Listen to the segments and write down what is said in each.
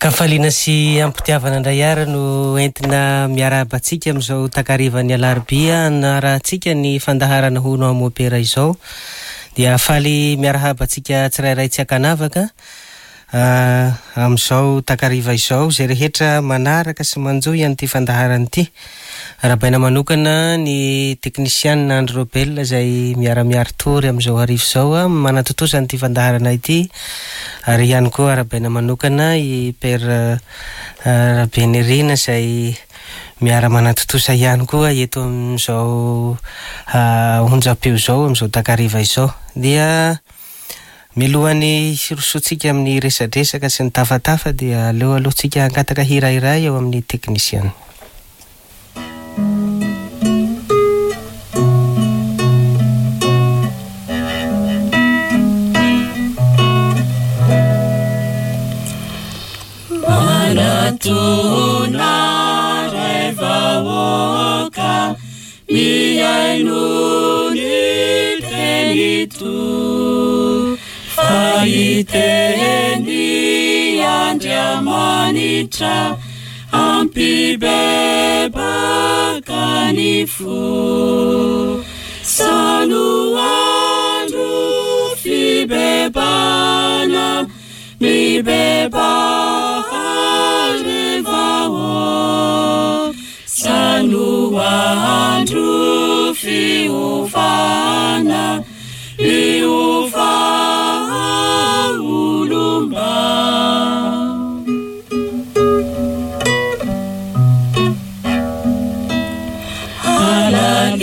An-kafaliana sy am-pitiavana indray àry no entina miarahaba antsika amin'izao takarivan'ny alarobia hanarahantsika ny fandaharana Hono aho Mopera izao. Dia faly miarahaba antsika tsirairay tsy ankanavaka amin'izao takariva izao, izay rehetra manaraka sy manjohy an'ity fandaharana ity. Arahabaina manokana ny teknisianina Andry Robel izay miara-miari-tory amin'izao hariva izao manatontosa an'ity fandaharana ity ary ihany koa arahabaina manokana i Père Rabenirina izay miara-manatontosa ihany koa eto amin'izao onjam-peo izao amin'izao takariva izao. Dia mialohan'ny hirosoantsika amin'ny resadresaka sy ny tafatafa dia aleo aloha tsika hangataka hira iray eo amin'ny teknisiana. Manatona ray vahoaka mihaino ny teny to fa hiteny Andriamanitra Hampibebaka ny fo. Sano andro fibebana, mibebaha ry vahoaka. Sano andro fiovana, miova olomba.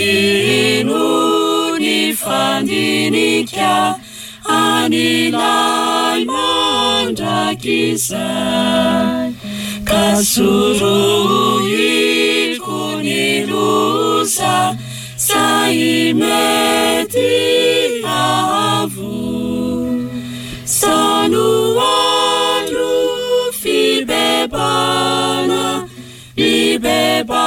Halalino ny fandinika an'ilay mandrakizay, ka sorohiko ny loza zay mety hahavoa. Sano andro fibebana, mibebaha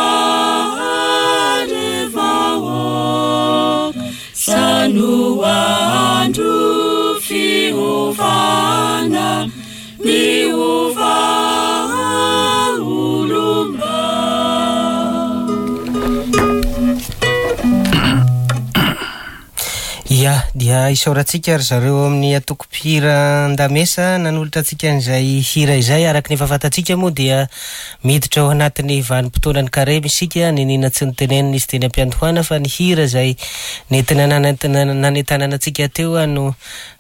ry vahoaka. Sano andro fiovana, miova olomba. Ia, dia isaorantsika ry zareo ao amin'ny antoko mpihira Andamesa nanolotra antsika an'izay hira izay. Araka ny efa fantatsika moa dia miditra ao anatin'ny vanim-potoanan'ny karemy isika, niniana tsy notenenina izy teny am-piandohana fa ny hira izay nentina nanentanana antsika teo no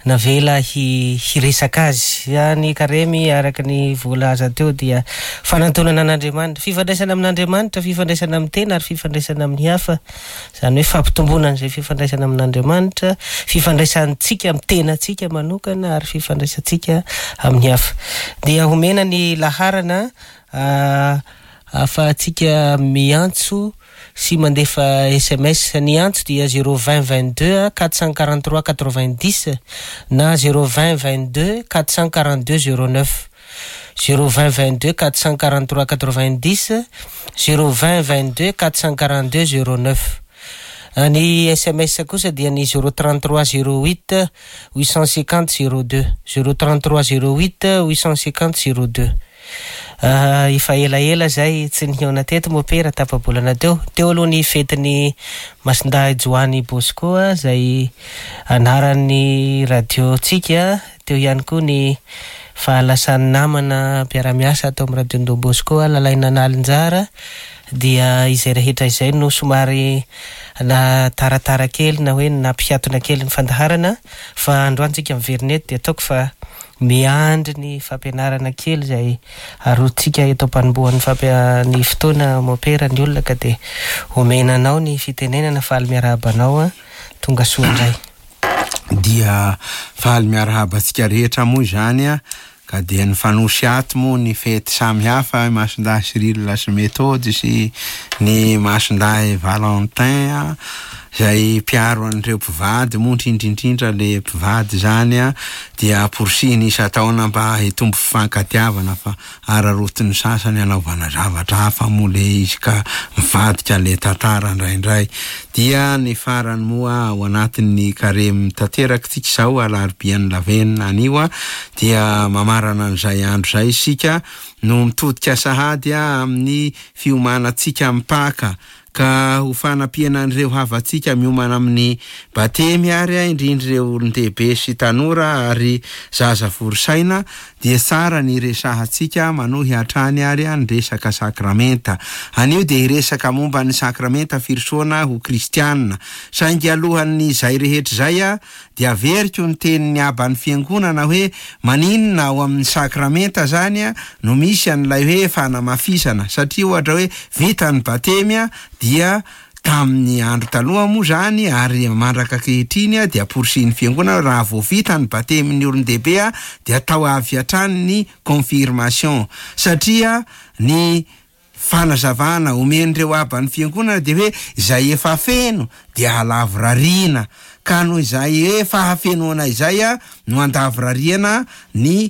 navela hiresaka azy. Ny karemy araka ny voalaza teo dia fanantonana an'Andriamanitra, fifandraisana amin'Andriamanitra, fifandraisana amin'ny tena ary fifandraisana amin'ny hafa. Izany hoe fampitomboana an'izay fifandraisana amin'Andriamanitra, fifandraisantsika amin'ny tenantsika manokana ary fifandraisantsika amin'ny hafa. Dia homena ny laharana ahafahantsika miantso sy mandefa sms. Ny antso dia 0 20 22 443 90 na 0 20 22 442 09. 0 20 22 443 90, 0 20 22 442 09. Ny sms kosa dia ny 0 33 08 850 02, 0 33 08 850 02. Efa elaela izay tsy nihaona teto mopera tapa-bolana teo. Teo aloha ny fetin'ny Masindahy Joany Bosco izay anaran'ny radio-ntsika. Teo ihany koa ny fahalasan'ny namana mpiara-miasa ato amin'ny Radio Don Bosco, Lalaina Nalinjara, dia izay rehetra izay no somary nahataratara kely na hoe nampihatona kely ny fandaharana fa androany tsika miverina eto dia ataoko fa miandry ny fampianarana kely izay arotsika eto am-panombohan'ny fampia- ny fotoana mopera ny olona ka dia omena anao ny fitenenana faly miarahaba anao tonga soa indray. Dia faly miarahaba antsika rehetra moa izany a, ka dia nifanosy ato moa ny fety samy hafa, i Masindahy Cyril sy Methode sy ny Masindahy Valentin a, izay mpiaro an'ireo mpivady moa indrindra indrindra le mpivady izany a, dia amporisihina isan-taona mba hitombo fifankatiavana fa araraotin'ny sasany hanaovana zavatra hafa moa le izy ka mivadika le tantara indraindray. Dia ny farany moa ao anatin'ny karemy tanteraka tsika izao alarobian'ny lavenona anio dia mamarana an'izay andro izay isika no mitodika sahady amin'ny fiomanantsika amin'ny Paka ka ho fanampiana an'ireo havantsika miomana amin'ny batemy ary indrindra ireo olon-dehibe sy tanora ary zaza vory saina dia tsara ny hiresahantsika manohy hatrany ary ny resaka sakramenta. Anio dia hiresaka momba ny sakramenta firosoana ho kristianina. Saingy alohan'ny izay rehetra izay dia averiko ny tenin'ny Aban'ny Fiangonana hoe maninona ao amin'ny sakramenta zany no misy an'ilay hoe fanamafisana, satria ohatra hoe vita ny batemy dia tamin'ny andro taloha moa zany ary mandraka ankehitriny dia amporisihin'ny Fiangonana raha vao vita ny batemin'ny olon-dehibe dia atao avy hatrany ny confirmation, satria ny fanazavana omen'ireo Aban'ny Fiangonana dia hoe izay efa feno dia halavorariana, ka noho izay hoe fahafenoana izay no andavorariana ny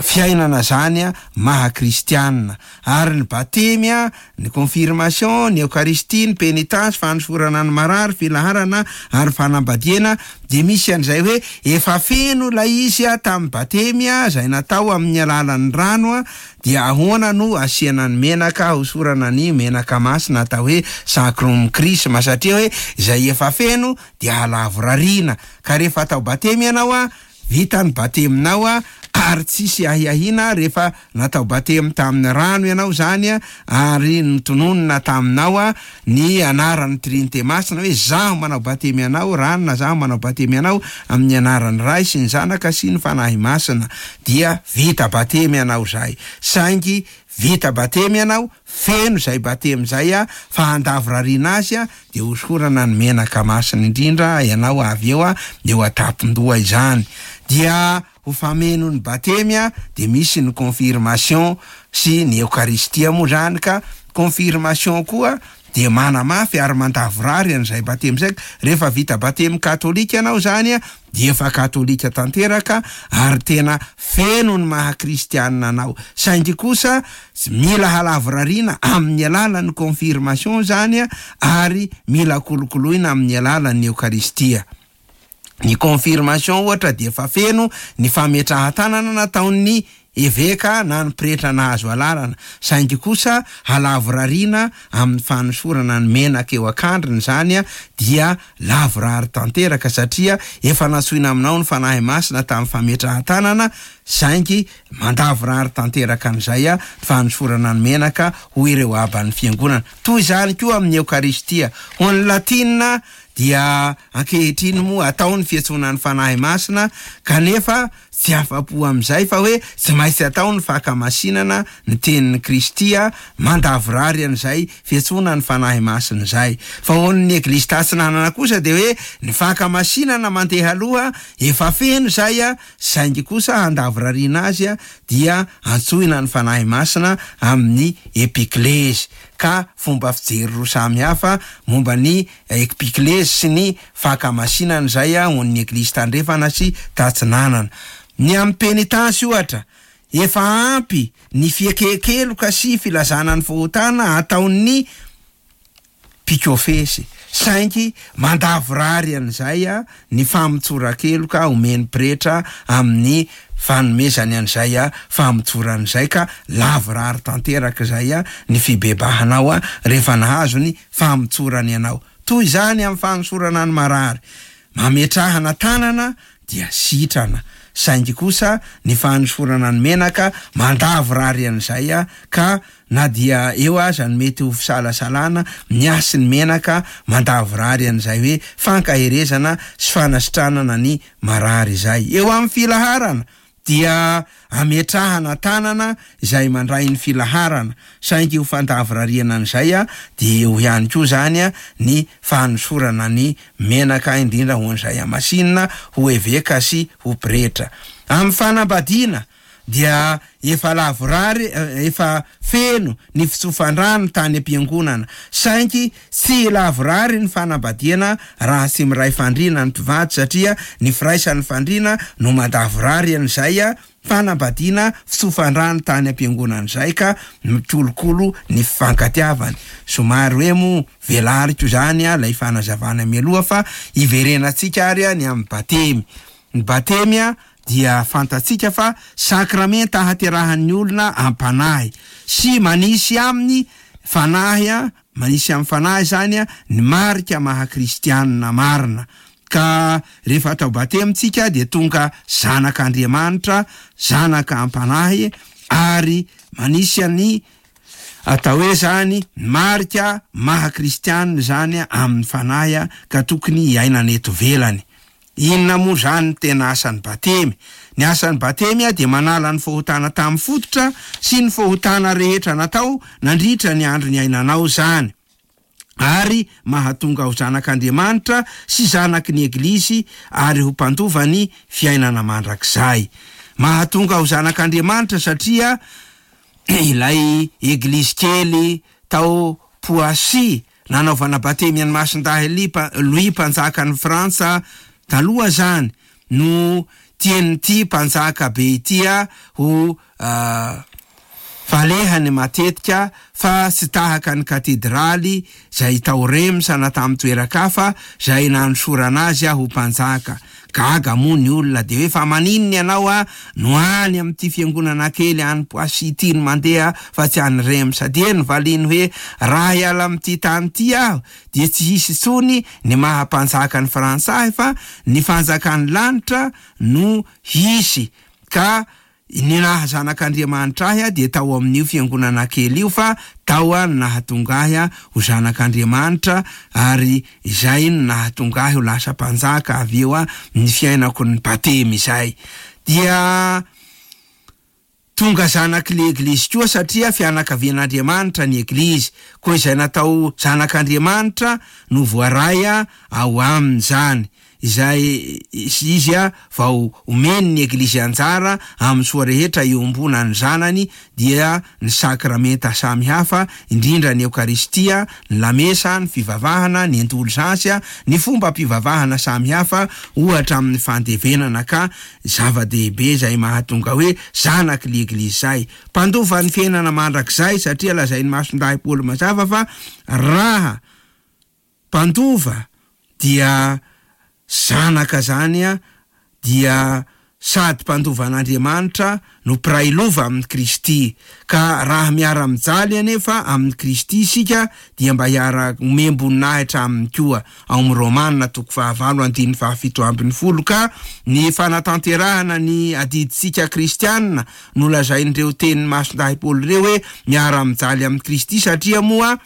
fiainana zany maha kristianina. Ary ny batemy, ny confirmation, ny eokaristia, ny pénitence, fanosorana ny marary, filaharana ary fanambadiana dia misy an'izay hoe efa feno ilay izy tamin'ny batemy izay natao amin'ny alalan'ny rano, Dia ahoana no asiana ny menaka hosorana ny menaka masina atao hoe sacrum chrisma satria hoe izay efa feno dia halavorariana ka rehefa atao batemy ianao a vita ny bateminao a ary tsisy ahiahiana rehefa natao batemy tamin'ny rano ianao zany a ary notononina taminao a ny anaran'ny Trinite Masina hoe zaho manao batemy anao ranona zaho manao batemy anao amin'ny anaran'ny Ray sy ny Zanaka sy ny Fanahy Masina dia vita batemy ianao zay saingy vita batemy ianao feno zay batemy zay a fa handavorariana azy a dia hosorana ny menaka masina indrindra ianao avy eo a eo an-tampon-doha izany dia ho fameno ny batemy a dia misy ny confirmation sy ny eokaristia moa zany ka confirmation koa dia manamafy ary mandavorary an'izay batemy zay rehefa vita batemy katolika ianao zany a dia efa katolika tanteraka ary tena feno ny maha kristianina anao saingy kosa mila halavorariana amin'ny alalan'ny confirmation zany a ary mila kolokoloina amin'ny alalan'ny eokaristia. Ny confirmation ohatra dia efa feno ny fametrahan-tanana nataon'ny eveka na ny pretra nahazo alalana, saingy kosa halavorariana amin'ny fanosorana ny menaka eo an-kandrina izany dia lavorary tanteraka satria efa nantsoina aminao ny Fanahy Masina tamin'ny fametrahan-tanana saingy mandavorary tanteraka an'izay ny fanosorana ny menaka hoy ireo aban'ny fiangonana. Toy izany koa amin'ny Eokaristia. Ho an'ny Latina dia ankehitriny moa atao ny fiantsoana ny Fanahy Masina kanefa tsy afa-po amin'izay fa hoe tsy maintsy atao ny fankamasinana ny tenin'i Kristy mandavorary an'izay fiantsoana ny Fanahy Masina izay. Fa ho an'ny Eglizy Tatsinanana kosa dia hoe ny fankamasinana mandeha aloha efa feno izay saingy kosa handavorariana azy dia antsoina ny Fanahy Masina amin'ny epiklezy ka fomba fijery roa samy hafa momba ny Ekpiklezy sy ny fankamasinana izay ho an'ny Eglizy Tandrefana sy Tatsinanana. Ny amin'ny penitansy ohatra, efa ampy ny fiekekeloka sy filazana ny fahotana ataon'ny mpikofesy, saingy mandavorary an'izay ny famotsoran-keloka omen'ny pretra amin'ny fanomezany an'izay famotsorana izay ka lavorary tanteraka izay ny fibebahanao rehefa nahazo ny famotsorany anao. Toy izany amin'ny fanosorana ny marary. Mametrahana tanana dia sitrana. Saingy kosa ny fanosorana ny menaka mandavorary an'izay ka na dia eo aza ny mety ho fisalasalana ny hasin'ny menaka mandavorary an'izay hoe fankaherezana sy fanasitranana ny marary izay. Eo amin'ny filaharana dia ametrahana tanana izay mandray ny filaharana, saingy ho fandavorariana an'izay dia eo ihany koa izany ny fanosorana ny menaka indrindra ho an'izay hamasinina ho eveka sy ho pretra. Amin'ny fanambadiana. dia efa lavorary, efa feno ny fitsofan-drano tany am-piangonana. Saingy tsy lavorary ny fanambadiana raha tsy miray fandriana ny mpivady satria ny firaisan'ny fandriana no mandavorary an'izay fanambadiana fitsofan-drano tany am-piangonana izay ka mikolokolo ny fifankatiavany. Somary hoe moa velariko izany ilay fanazavana mialoha fa hiverenantsika ary ny amin'ny batemy. Ny batemy dia fantatsika fa sakramenta ahaterahan'ny olona am-panahy sy manisy amin'ny fanahy, manisy amin'ny fanahy izany ny marika maha kristianina marina. Ka rehefa atao batemy tsika dia tonga zanak'Andriamanitra, zanaka am-panahy ary manisy ny atao hoe izany marika maha kristianina izany amin'ny fanahy ka tokony hiainana eto ivelany. Inona moa izany ny tena asan'ny batemy? Ny asan'ny batemy dia manala ny fahotana tamin'ny fototra sy ny fahotana rehetra natao nandritra ny andro niainanao izany, ary mahatonga ho zanak'Andriamanitra sy zanaky ny Eglizy ary ho mpandova ny fiainana mandrakizay. Mahatonga ho zanak'Andriamanitra satria ilay Eglizy kely tao Poissy nanaovana batemy an'i Masindahy Louis mpanjakan'i Frantsa taloha izany no tian'ity mpanjaka be ity ho falehany matetika fa tsy tahaka ny katedraly izay tao Reims na tamin'ny toeran-kafa izay nanosorana azy ho mpanjaka. Gaga moa ny olona dia hoe fa maninona ianao no any amin'ity fiangonana kely any Poissy ity no mandeha fa tsy any Reims? Dia novaliany hoe raha hiala amin'ity tany ity aho dia tsy hisy intsony ny maha mpanjaka ny Frantsa ahy fa ny fanjakan'ny lanitra no hisy ka Ny naha zanak'Andriamanitra ahy dia tao amin'io fiangonana kely io fa tao no nahatonga ahy ho zanak'Andriamanitra ary izay no nahatonga ahy ho lasa mpanjaka avy eo ny fiainako ny batemy izay. Dia tonga zanak'ilay Eglizy koa satria fianakavian'Andriamanitra ny Eglizy. Koa izay natao zanak'Andriamanitra no voaray ao aminy izany. Izay izy vao omeny ny Eglizy anjara amin'ny soa rehetra iombonan'ny zanany dia ny sakramenta samihafa, indrindra ny Eokaristia, ny lamesa, ny fivavahana, ny indolzansy, ny fombam-pivavahana samihafa, ohatra amin'ny fandevenana ka zava-dehibe izay mahatonga hoe zanaky ny Eglizy izay. Mpandova ny fiainana mandrakizay satria lazain'i Masindahy Paoly mazava fa raha Mpandova dia zanaka zany dia sady mpandova an'Andriamanitra no mpiray lova amin'i Kristy. Ka raha miara-mijaly anefa amin'i Kristy isika dia mba hiara-omem-boninahitra aminy koa. Ao amin'ny Romana toko fahavalo andininy faha-17 ka ny fanatanterahana ny adidintsika kristiana no lazain'ireo tenin'i Masindahy Paoly ireo hoe miara-mijaly amin'i Kristy satria moa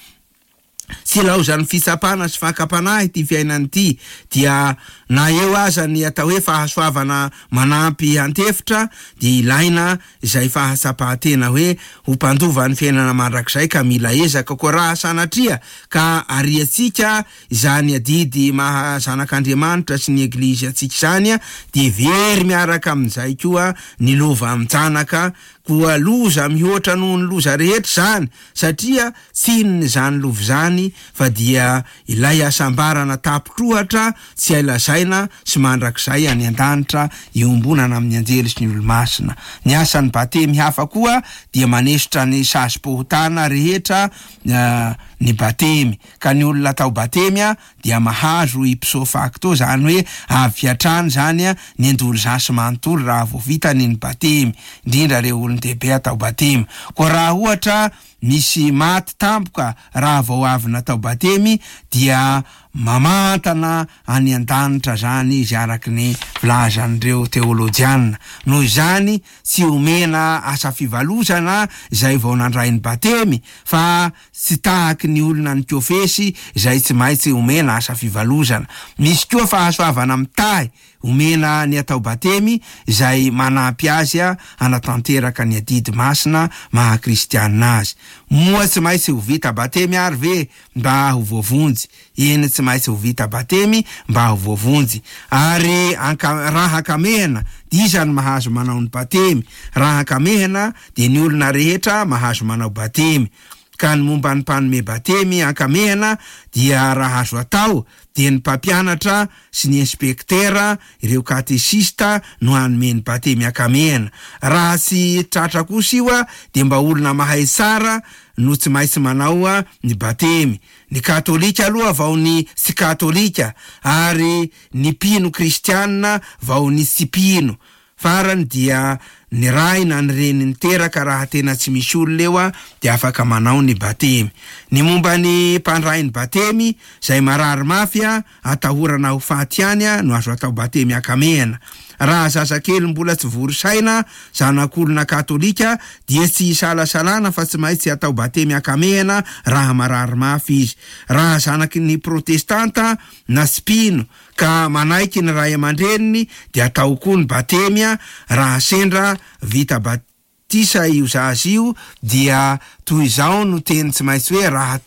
Tsy ilaozan'ny fitsapana sy fakam-panahy ity fiainana ity, dia na eo aza ny atao hoe fahasoavana manampy antefitra, dia ilaina izay fahatsapan-tena hoe ho mpandova ny fiainana mandrakizay ka mila ezaka. Koa raha sanatria ka ariantsika izany adidy maha zanak'Andriamanitra sy ny Eglizy antsika izany, dia very miaraka amin'izay koa ny lova amin-janaka. Koa loza mihoatra noho ny loza rehetra izany, satria Tsy inona izany lova izany fa dia ilay hasambarana tapitr'ohatra tsy hay lazaina sy mandrakizay any an-danitra iombonana amin'ny anjely sy ny olo-masina. Ny asan'ny batemy hafa koa dia manesotra ny sazim-pahotana rehetra ny batemy ka ny olona atao batemy dia mahazo ipso facto izany hoe avy hatrany izany ny indolzansy manontolo raha vao vitany ny batemy, indrindra ireo olon-dehibe atao batemy. Koa raha ohatra Misy maty tampoka raha vao avy natao batemy dia mamantana any an-danitra zany izy araky ny filazan'ireo teolojiana. Noho izany tsy omena asa fivalozana izay vao nandray ny batemy fa tsy tahaky ny olona nikofesy izay tsy maitsy omena asa fivalozana. Misy koa fahasoavana mitahy Omena ny atao batemy izay manampy azy hanatanteraka ny adidy masina maha kristianina azy. Moa tsy maintsy ho vita batemy ary ve mba ho voavonjy? Eny tsy. tsy maintsy ho vita batemy mba ho voavonjy. Ary anka, raha ankamehana, dia iza no mahazo manao ny batemy? Raha ankamehana, dia ny olona rehetra mahazo manao batemy. Ka ny momba ny mpanome batemy ankamehana dia raha azo atao dia ny mpampianatra sy ny inspektera, ireo katesista no hanome ny batemy ankamehana. Raha tsy tratra kosa io dia mba olona mahay tsara no tsy maintsy manao ny batemy. Ny katolika aloha vao ny tsy katolika ary ny mpino kristianina vao ny tsy mpino. Farany dia ny ray na ny reny niteraka raha tena tsy misy olona eo dia afaka manao ny batemy. Ny momba ny mpandray ny batemy, izay marary mafy atahorana ho faty ihany no azo atao batemy ankamehana. Raha zazakely mbola tsy vory saina, zanak'olona katolika, dia tsy isalasalana fa tsy maintsy atao batemy ankamehana raha marary mafy izy. Raha zanaky ny protestanta na tsy mpino ka manaiky ny ray aman-dreniny dia atao koa ny batemy raha sendra vita batisa io zaza io dia toy izao no teny tsy maintsy hoe raha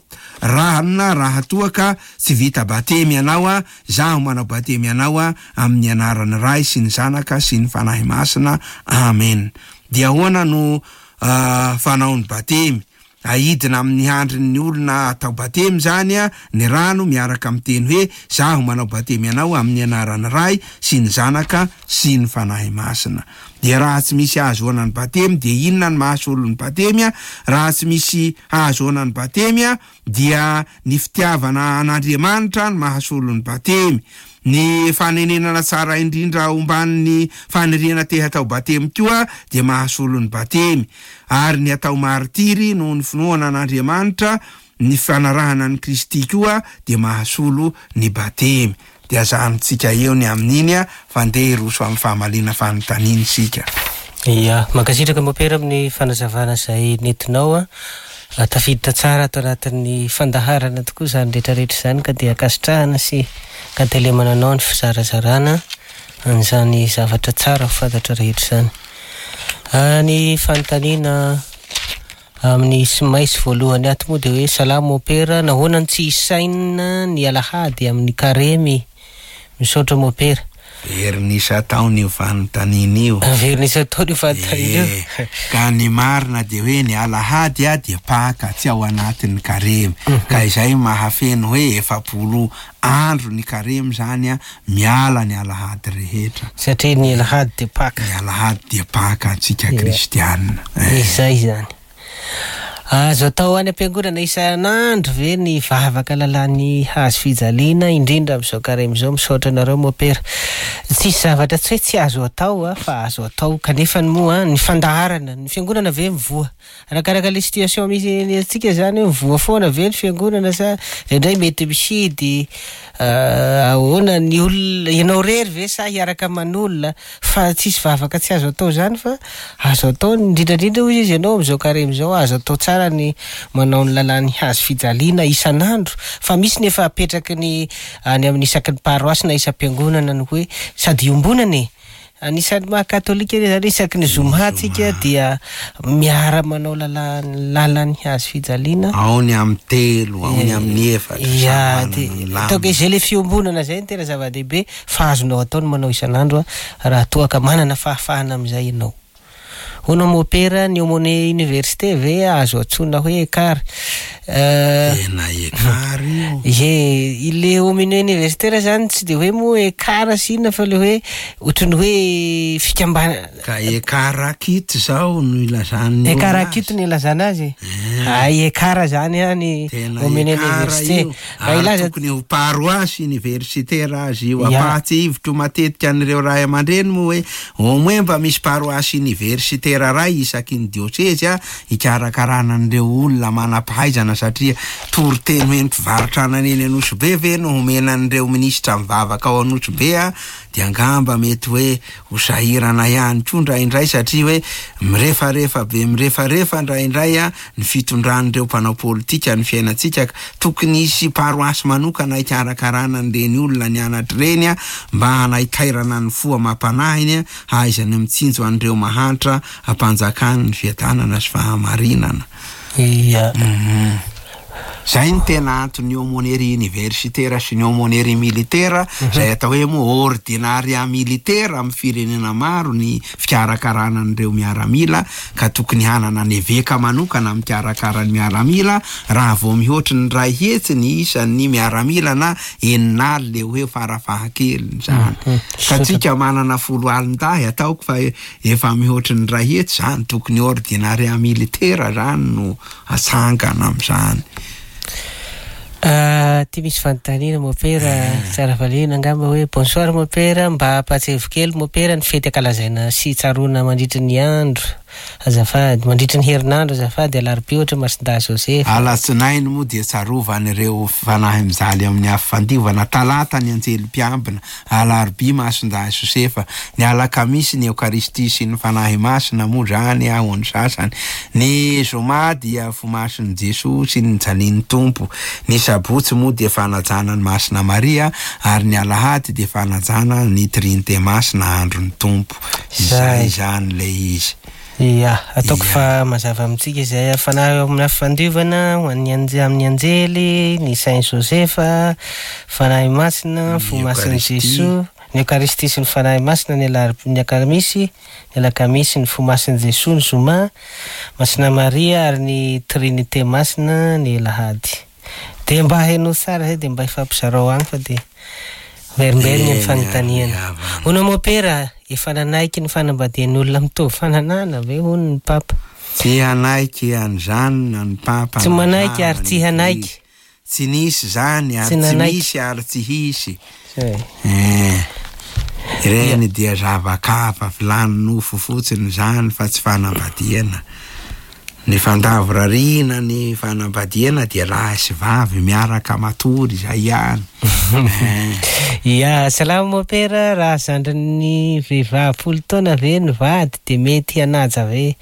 raha raha toa ka tsy vita batemy ianao a, zaho manao batemy anao a amin'ny anaran'ny Ray sy ny Zanaka sy ny Fanahy Masina, amen. Dia ahoana no fanao ny batemy? Aidina amin'ny handrin'ny olona atao batemy izany ny rano miaraka amin'ny teny hoe, Zaho manao batemy anao amin'ny anaran'ny Ray sy ny Zanaka sy ny Fanahy Masina. Dia raha tsy misy ahazoana ny batemy dia inona ny mahasolo ny batemy? Raha tsy misy hahazoana ny batemy dia ny fitiavana an'Andriamanitra no mahasolo ny batemy. Ny fanenenana tsara indrindra omban'ny faniriana te hatao batemy koa dia mahasolo ny batemy. Ary ny atao martiry noho ny finoana an'Andriamanitra, ny fanarahana an'i Kristy koa dia mahasolo ny batemy. Dia ajanontsika eo ny amin'iny fa ndeha hiroso amin'ny famaliana fanontaniana isika. Ya, mankasitraka Mopera amin'ny fanazavana izay nentinao a. Tafiditra tsara ato anatin'ny fandaharana tokoa izany rehetra rehetra izany ka dia ankasitrahana sy ankatelemana anao ny fizarazarana an'izany zavatra tsara ho fantatra rehetra izany. Ny fanontaniana amin'ny sms voalohany ato moa dia hoe salama Mopera, nahoana no tsy isaina ny alahady amin'ny karemy? Misaotra Mopera. Veriny isan-taona io fanontaniana io. Veriny isan-taona io fanontaniana io. Ee, ka ny marina dia hoe ny alahady dia Paka, tsy ao anatin'ny karemy. Ka izay mahafeno hoe 40 andro ny karemy izany miala ny alahady rehetra. Satria ny alahady dia Paka. Ny alahady dia Paka antsika kristiana. Izay izany. Azo atao any am-piangonana isan'andro ve ny vavaka lalàn'ny hazo fijaliana, indrindra amin'izao karemy izao? Misaotra anareo Mopera. Tsisy zavatra tsy hoe tsy azo atao fa azo atao, kanefany moa ny fandaharana, ny fiangonana ve mivoha? Arakaraka le situation misy antsika zany hoe mivoha foana ve ny fiangonana sa indraindray mety mihidy, ahoana ny olona, ianao irery ve sa hiaraka aman'olona? Fa tsisy vavaka tsy azo atao zany fa azo atao indrindra indrindra hoy izy ianao amin'izao karemy izao azo atao tsara ny manao ny lalàn'ny hazo fijaliana isan'andro fa misy ny efa apetraky ny any amin'ny isaky ny paroasy na isam-piangonana ny hoe sady iombonana e! Anisan'ny maha katolika anie zany isaky ny zoma tsika dia miara manao lalà lalan'ny hazo fijaliana. Ao ny amin'ny telo, ao ny amin'ny efatra, samy Ya, manana dia ny laminy. ataoko hoe izay le fiombonana izay no tena zava-dehibe. Fa azonao atao ny manao isan'andro raha toa ka manana fahafahana amin'izay ianao. Hono mopera, ny aumônier université ve azo antsoina hoe écart? Tena écart io. Ie, ilay aumônier universitaire zany tsy dia hoe moa écart sy inona fa ilay hoe ohatran'ny hoe fikambanana. Ka écart kit zao no ilazan'ny olona azy. Écart kit no ilazana azy e? Hay écart zany any Tena aumônier écart université. io. Raha Ary hilaza tokony ho paroasy universitaire azy io. Ya. Ampahatsiahiviko matetika an'ireo ray aman-dreny moa hoe au moins mba misy paroasy universitaire iray isaky ny diosezy hikarakarana an'ireo olona manam-pahaizana satria toriteny hoe ny mpivarotra anana eny Anosibe ve no homena an'ireo minisitra mivavaka ao Anosibe dia angamba mety hoe ho sahirana ihany koa indraindray satria hoe mirefarefa be mirefarefa indraindray ny fitondran'ireo mpanao politika ny fiainantsika ka tokony hisy paroasy manokana hikarakarana an'ireny olona nianatra ireny mba hanaitairana ny fo amam-panahiny hahaizany mitsinjo an'ireo mahantra hampanjakany ny fiadanana sy fahamarinana. Ia. Zay no tena anton'ny aumônerie universitaire sy ny aumônerie militaire, zay atao hoe moa ordinariat militaire amin'ny firenena maro ny fikarakarana an'ireo miaramila, ka tokony hanana ny eveka manokana mikarakara ny miaramila raha vao mihoatry ny 100 ny isan'ny miaramila na 60 eo ho eo farafahakeliny zany. Ka tsika manana foloalindahy, ataoko fa efa mihoatry ny 100 zany, tokony ordinariat militaire zany no atsangana amin'izany. Ty misy fanontaniana mopera tsara valiana angamba hoe bonsoir mopera, mba ampahatsiahivo kely mopera ny fety ankalazaina sy tsaroana mandritry ny andro azafady, mandritry ny herinandro azafady, alarobia ohatra Masindahy Joseph. Alatsinainy moa dia tsarovan'ireo fanahy mijaly amin'ny afo fandiovana, talata ny anjely mpiambina, alarobia Masindahy Josefa, ny alakamisy ny Eokaristia sy ny Fanahy Masina moa zany ho ny sasany, ny zoma dia fomasin'i Jesoa sy ny nijalian'ny Tompo, ny sabotsy moa dia fanajana ny Masina Maria, ary ny alahady dia fanajana ny Trinite Masina andron'ny Tompo. Izay zany ilay izy. Ia, ataoko fa mazava amintsika izay. Fanahy ao amin'ny afo fandiovana, ho an'ny anje-, amin'ny anjely, ny Saint Joseph, Fanahy Masina, Fo Masin'i Jesoa, ny Eokaristia sy ny Fanahy Masina ny alarobia, ny alakamisy, ny alakamisy, ny Fo Masin'i Jesoa ny zoma, Masina Maria ary ny Trinite Masina ny alahady. Dia mba henoy tsara izay dia mba ifampizarao agny fa dia miverimberigna ny fanontaniana. Hono Mopera, efa nanaiky ny fanambadian'ny olona mitovy fananahana ve hono ny Papa? Tsy hanaiky an'izany na ny Papa Tsy na manaiky na ary ny tsy hanaiky. Eglizy. Tsy nisy izany ary Tsy tsy nanaiky. misy ary tsy hisy. Zay. Eh. Ireny dia zava-kafa, filàn'ny nofo fotsiny izany fa tsy fanambadiana. Ny fandavorariana ny fanambadiana dia lahy sy vavy miaraka matory izay ihany. Eh. Ia, salama mopera, raha zandrin'ny vehivavy 10 taona ve ny vady dia mety hanaja ve?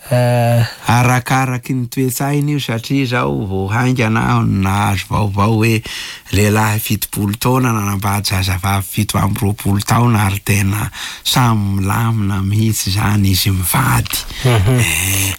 Arakaraky ny toe-tsaina io satria zao vao haingana aho no nahazo vaovao hoe lehilahy 70 taona nanambady zazavavy 27 taona ary tena samy milamina mihitsy zany izy mivady.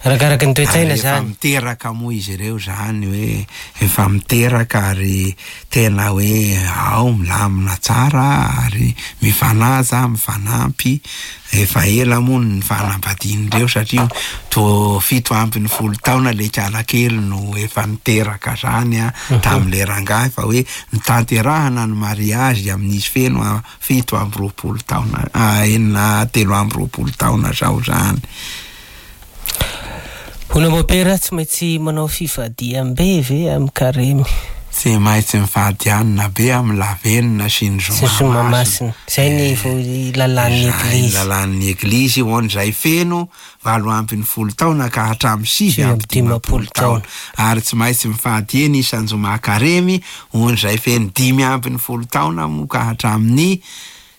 Arakaraky ny toe-tsaina Ary efa zany. miteraka moa izy ireo zany hoe efa miteraka ary tena hoe ao milamina tsara ary mifanaja, mifanampy. Efa ela moa ny fanambadian'ireo satria to 17 taona le kalakely no efa niteraka zany a, tamin'le rangahy fa hoe nitanterahana ny mariazy amin'izy feno a 27 taona, a, enina, 23 taona zao zany. Hono mopera, tsy maintsy manao fifadiam-be ve amin'ny karemy? Tsy maintsy mifady hanina be amin'ny lavenona sy ny Sy ny zoma zoma masina. masina. Zay ny lalàn'ny Zay ny Eglizy. lalàn'ny Eglizy ho an'izay feno 18 taona ka hatramin'ny 59 taona. Ary tsy maintsy mifady eny isan-joma karemy ho an'izay feno 15 taona moa ka hatramin'ny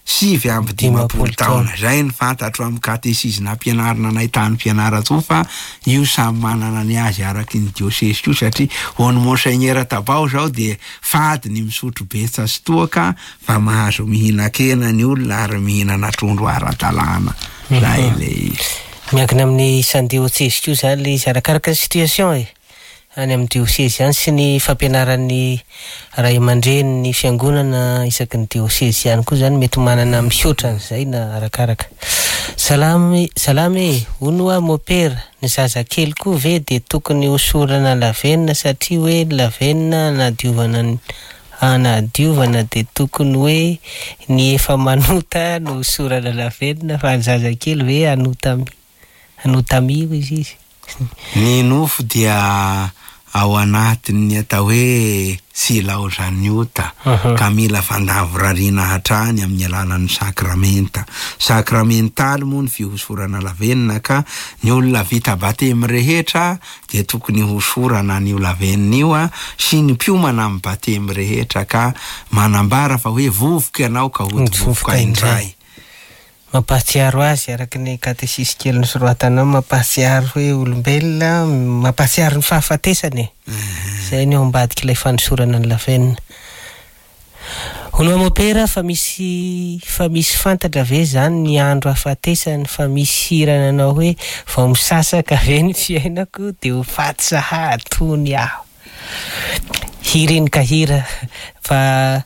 59 taona. Zay ny fantatro amin'ny katesizy nampianarina anay tany Fianarantsoa fa io samy manana ny azy araky ny diosesy io satria ho an'ny Monseigneur Tabao zao dia fady ny misotro betsa sy toaka fa mahazo mihinan-kena ny olona ary mihinana trondro ara-dalàna. Zay le izy. Miankina amin'ny isan'ny diosesy koa zany le izy arakaraka ny situation e. Any amin'ny diosesy ihany sy ny fampianaran'ny ray aman-dreny ny fiangonana isaky ny diosesy ihany koa zany mety manana mihoatra an'izay na arakaraka. Salamy, salamy e, hono hoa mopera, ny zazakely koa ve dia tokony hosorana lavenona satria hoe ny lavenona anadiovana ny anadiovana dia tokony hoe ny efa manota no hosorana lavenona fa ny zazakely ve anotami izy izy. Ny nofo dia ao anatin'ny atao hoe tsy ilaozan'ny ota, ka mila fandavorariana hatrany amin'ny alalan'ny sakramenta. Sakramentaly moa ny fihosorana lavenona ka ny olona vita batemy rehetra dia tokony hosorana an'io lavenona io a, sy ny mpiomana amin'ny batemy rehetra ka manambara fa hoe vovoka ianao ka hody vovoka indray. Mampahatsiaro azy araky ny katesisy kely nosoratanao, mampahatsiaro hoe olombelona, mampahatsiaro ny fahafatesany e. Zay ny ao ambadik'ilay fanosorana ny lavenona. Hono hoa mopera fa misy fa misy fantatra ve zany ny andro hafatesany fa misy hira nanao hoe vao misasaka ve ny fiainako de ho faty sahady tony aho. Hira iny ka hira fa.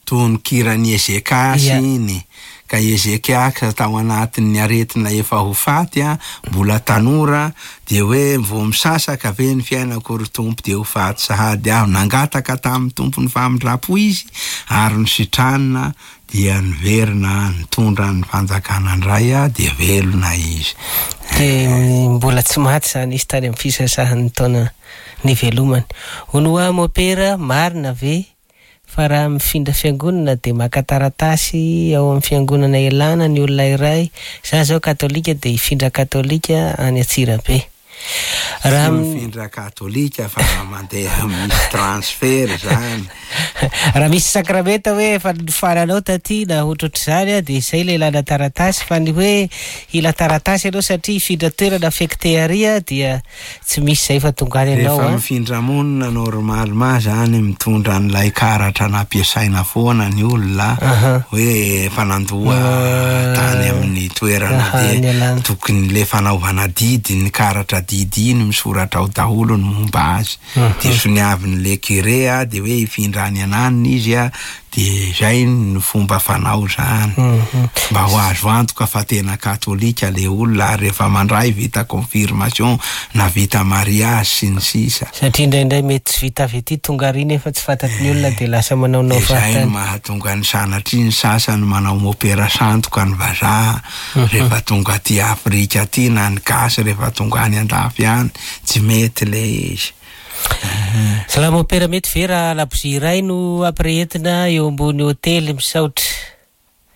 Tononkiran'i Ezekiasy iny. Ka Ezekiasa tao anatin'ny aretina efa ho faty, mbola tanora, dia hoe vao misasaka ve ny fiainako ry Tompo dia ho faty sahady aho. Nangataka tamin'ny Tompo ny famindram-po izy ary nositranina dia niverina nitondra ny fanjakana indray dia velona izy. Dia mbola tsy maty izany izy tany amin'ny fisasahan'ny taona nivelomany. Hono hoa Mopera, marina ve Fa raha mifindra fiangonana dia maka taratasy ao amin'ny fiangonana ialana ny olona iray, za zao katolika dia hifindra katolika any Antsirabe. Raha Tsy mifindra katolika fa mandeha misy transfert zany. Raha misy sakramenta hoe efa nofaranao taty na ohatrohatr'izany dia izay ilay ilana taratasy fa ny hoe hila taratasy ianao satria hifindra toerana affecté ary dia Tsy misy zay fa tonga any ianao Rehefa mifindra monina normalement zany mitondra an'ilay karatra nampiasaina foana ny olona hoe efa nandoa tany amin'ny toerana dia tokony le fanaovana didy ny karatra didy iny misoratra ao daholo ny momba azy dia soniavin'le curé dia hoe hifindra any ananona izy Dia izay no fomba fanao izany. Mba ho azo antoka fa tena katolika le olona ary rehefa mandray vita confirmation na vita mariage sy ny sisa. Satria indraindray mety tsy vita avy aty tonga ary nefa tsy fantatry ny olona dia lasa manaonao Dia izay no fahatany. mahatonga ny sanatria ny sasany manao mopera sandoka ny vazaha rehefa tonga aty Afrika aty na ny gasy rehefa tonga any andafy any. Tsy mety le izy. Salama Opera mety ve raha labozia iray no ampirehetina eo ambony hotely misaotra.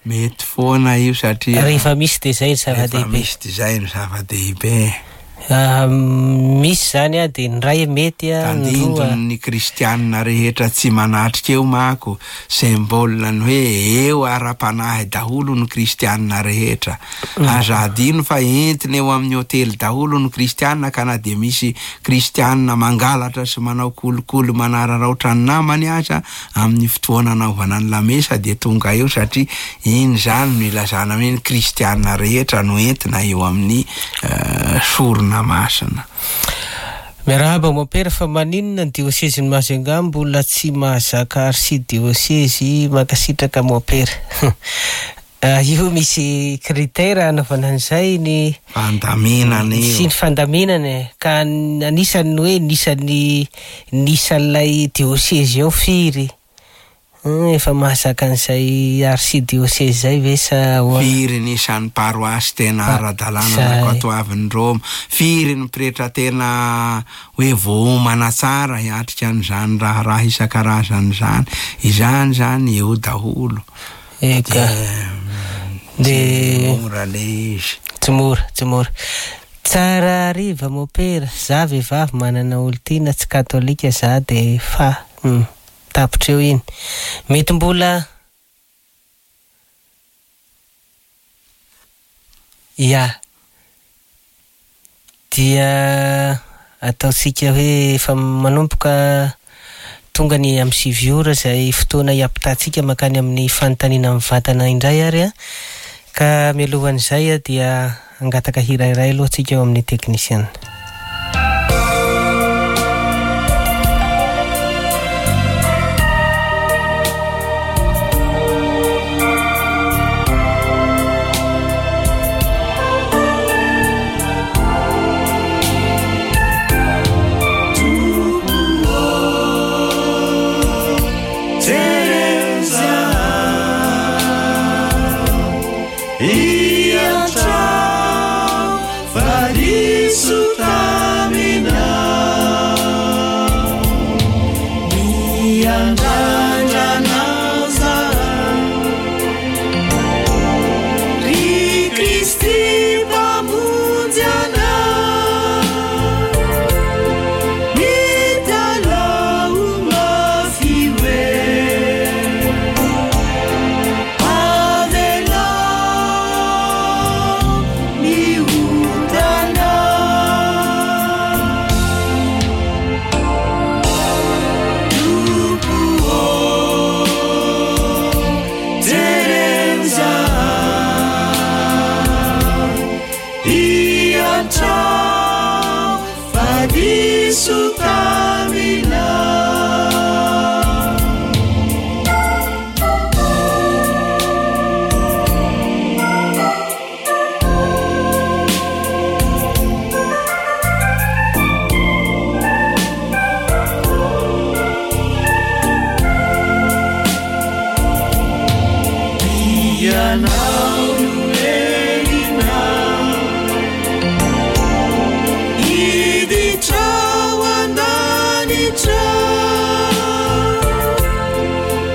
Mety foana io satria Rehefa misy dia izay no rehefa zava-dehibe. misy dia izay no zava-dehibe. Misy izany an, dia ny iray mety an, ny roa. Tandindon'ny kristianina rehetra tsy manatrika eo manko, symbole ny hoe eo ara-panahy daholo ny kristianina rehetra. Aza adino fa entina eo amin'ny hotely daholo ny kristianina ka na dia misy kristianina mangalatra sy manao kolikoly manararaotra ny namany aza amin'ny fotoana anaovana ny lamesa dia tonga eo satria iny izany no ilazana hoe ny kristianina rehetra no entina eo amin'ny sorona masina. Miarahaba Mompera fa maninona ny diosezin'i Majunga mbola tsy mahazaka arsidiosezy mankasitraka Mompera. Io misy critère hanaovana an'izay ny Fandaminana io. Sy ny fandaminana e. Ka anisany ny hoe ny isan'ny ny isan'ilay diosezy ao firy? Hum efa mahazaka an'izay arsidiosezy izay ve sa ahoana? Firy ny isan'ny paroasy tena ara-dalàna Izay. nankatoavin'i Roma? Firy ny pretra tena hoe voaomana tsara hiatrika an'izany raharaha isan-karazany izany? Izany izany eo daholo. Eka. Tsy mora le izy. Tsy mora, tsy mora. Tsara hariva mopera, za vehivavy manana olon-tiana tsy katolika za de fa hum tapitra eo iny. Mety mbola Ya. Dia ataontsika hoe efa manomboka tonga ny amin'ny sivy ora izay fotoana hiampitantsika mankany amin'ny fanontaniana mivantana indray ary an! Ka mialohan'izay dia hangataka hira iray aloha tsika ao amin'ny teknisiana.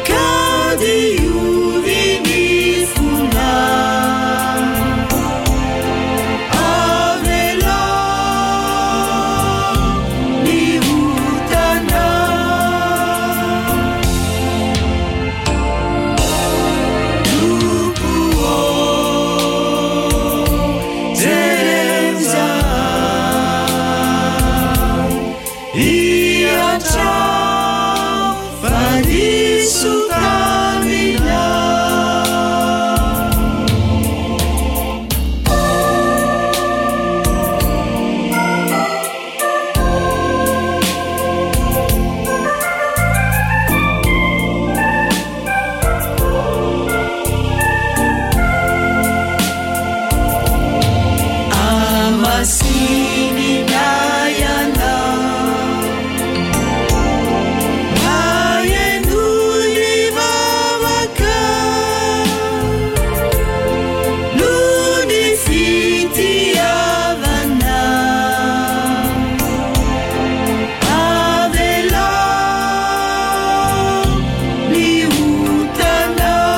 Ka diovy ny fonay. Avelao ny otanay. Tompo ô, jereo izahay. Iantrao fa diso taminao. Amasinina ianao, maheno ny vavaka, noho ny fitiavana. Avelao ny otanao.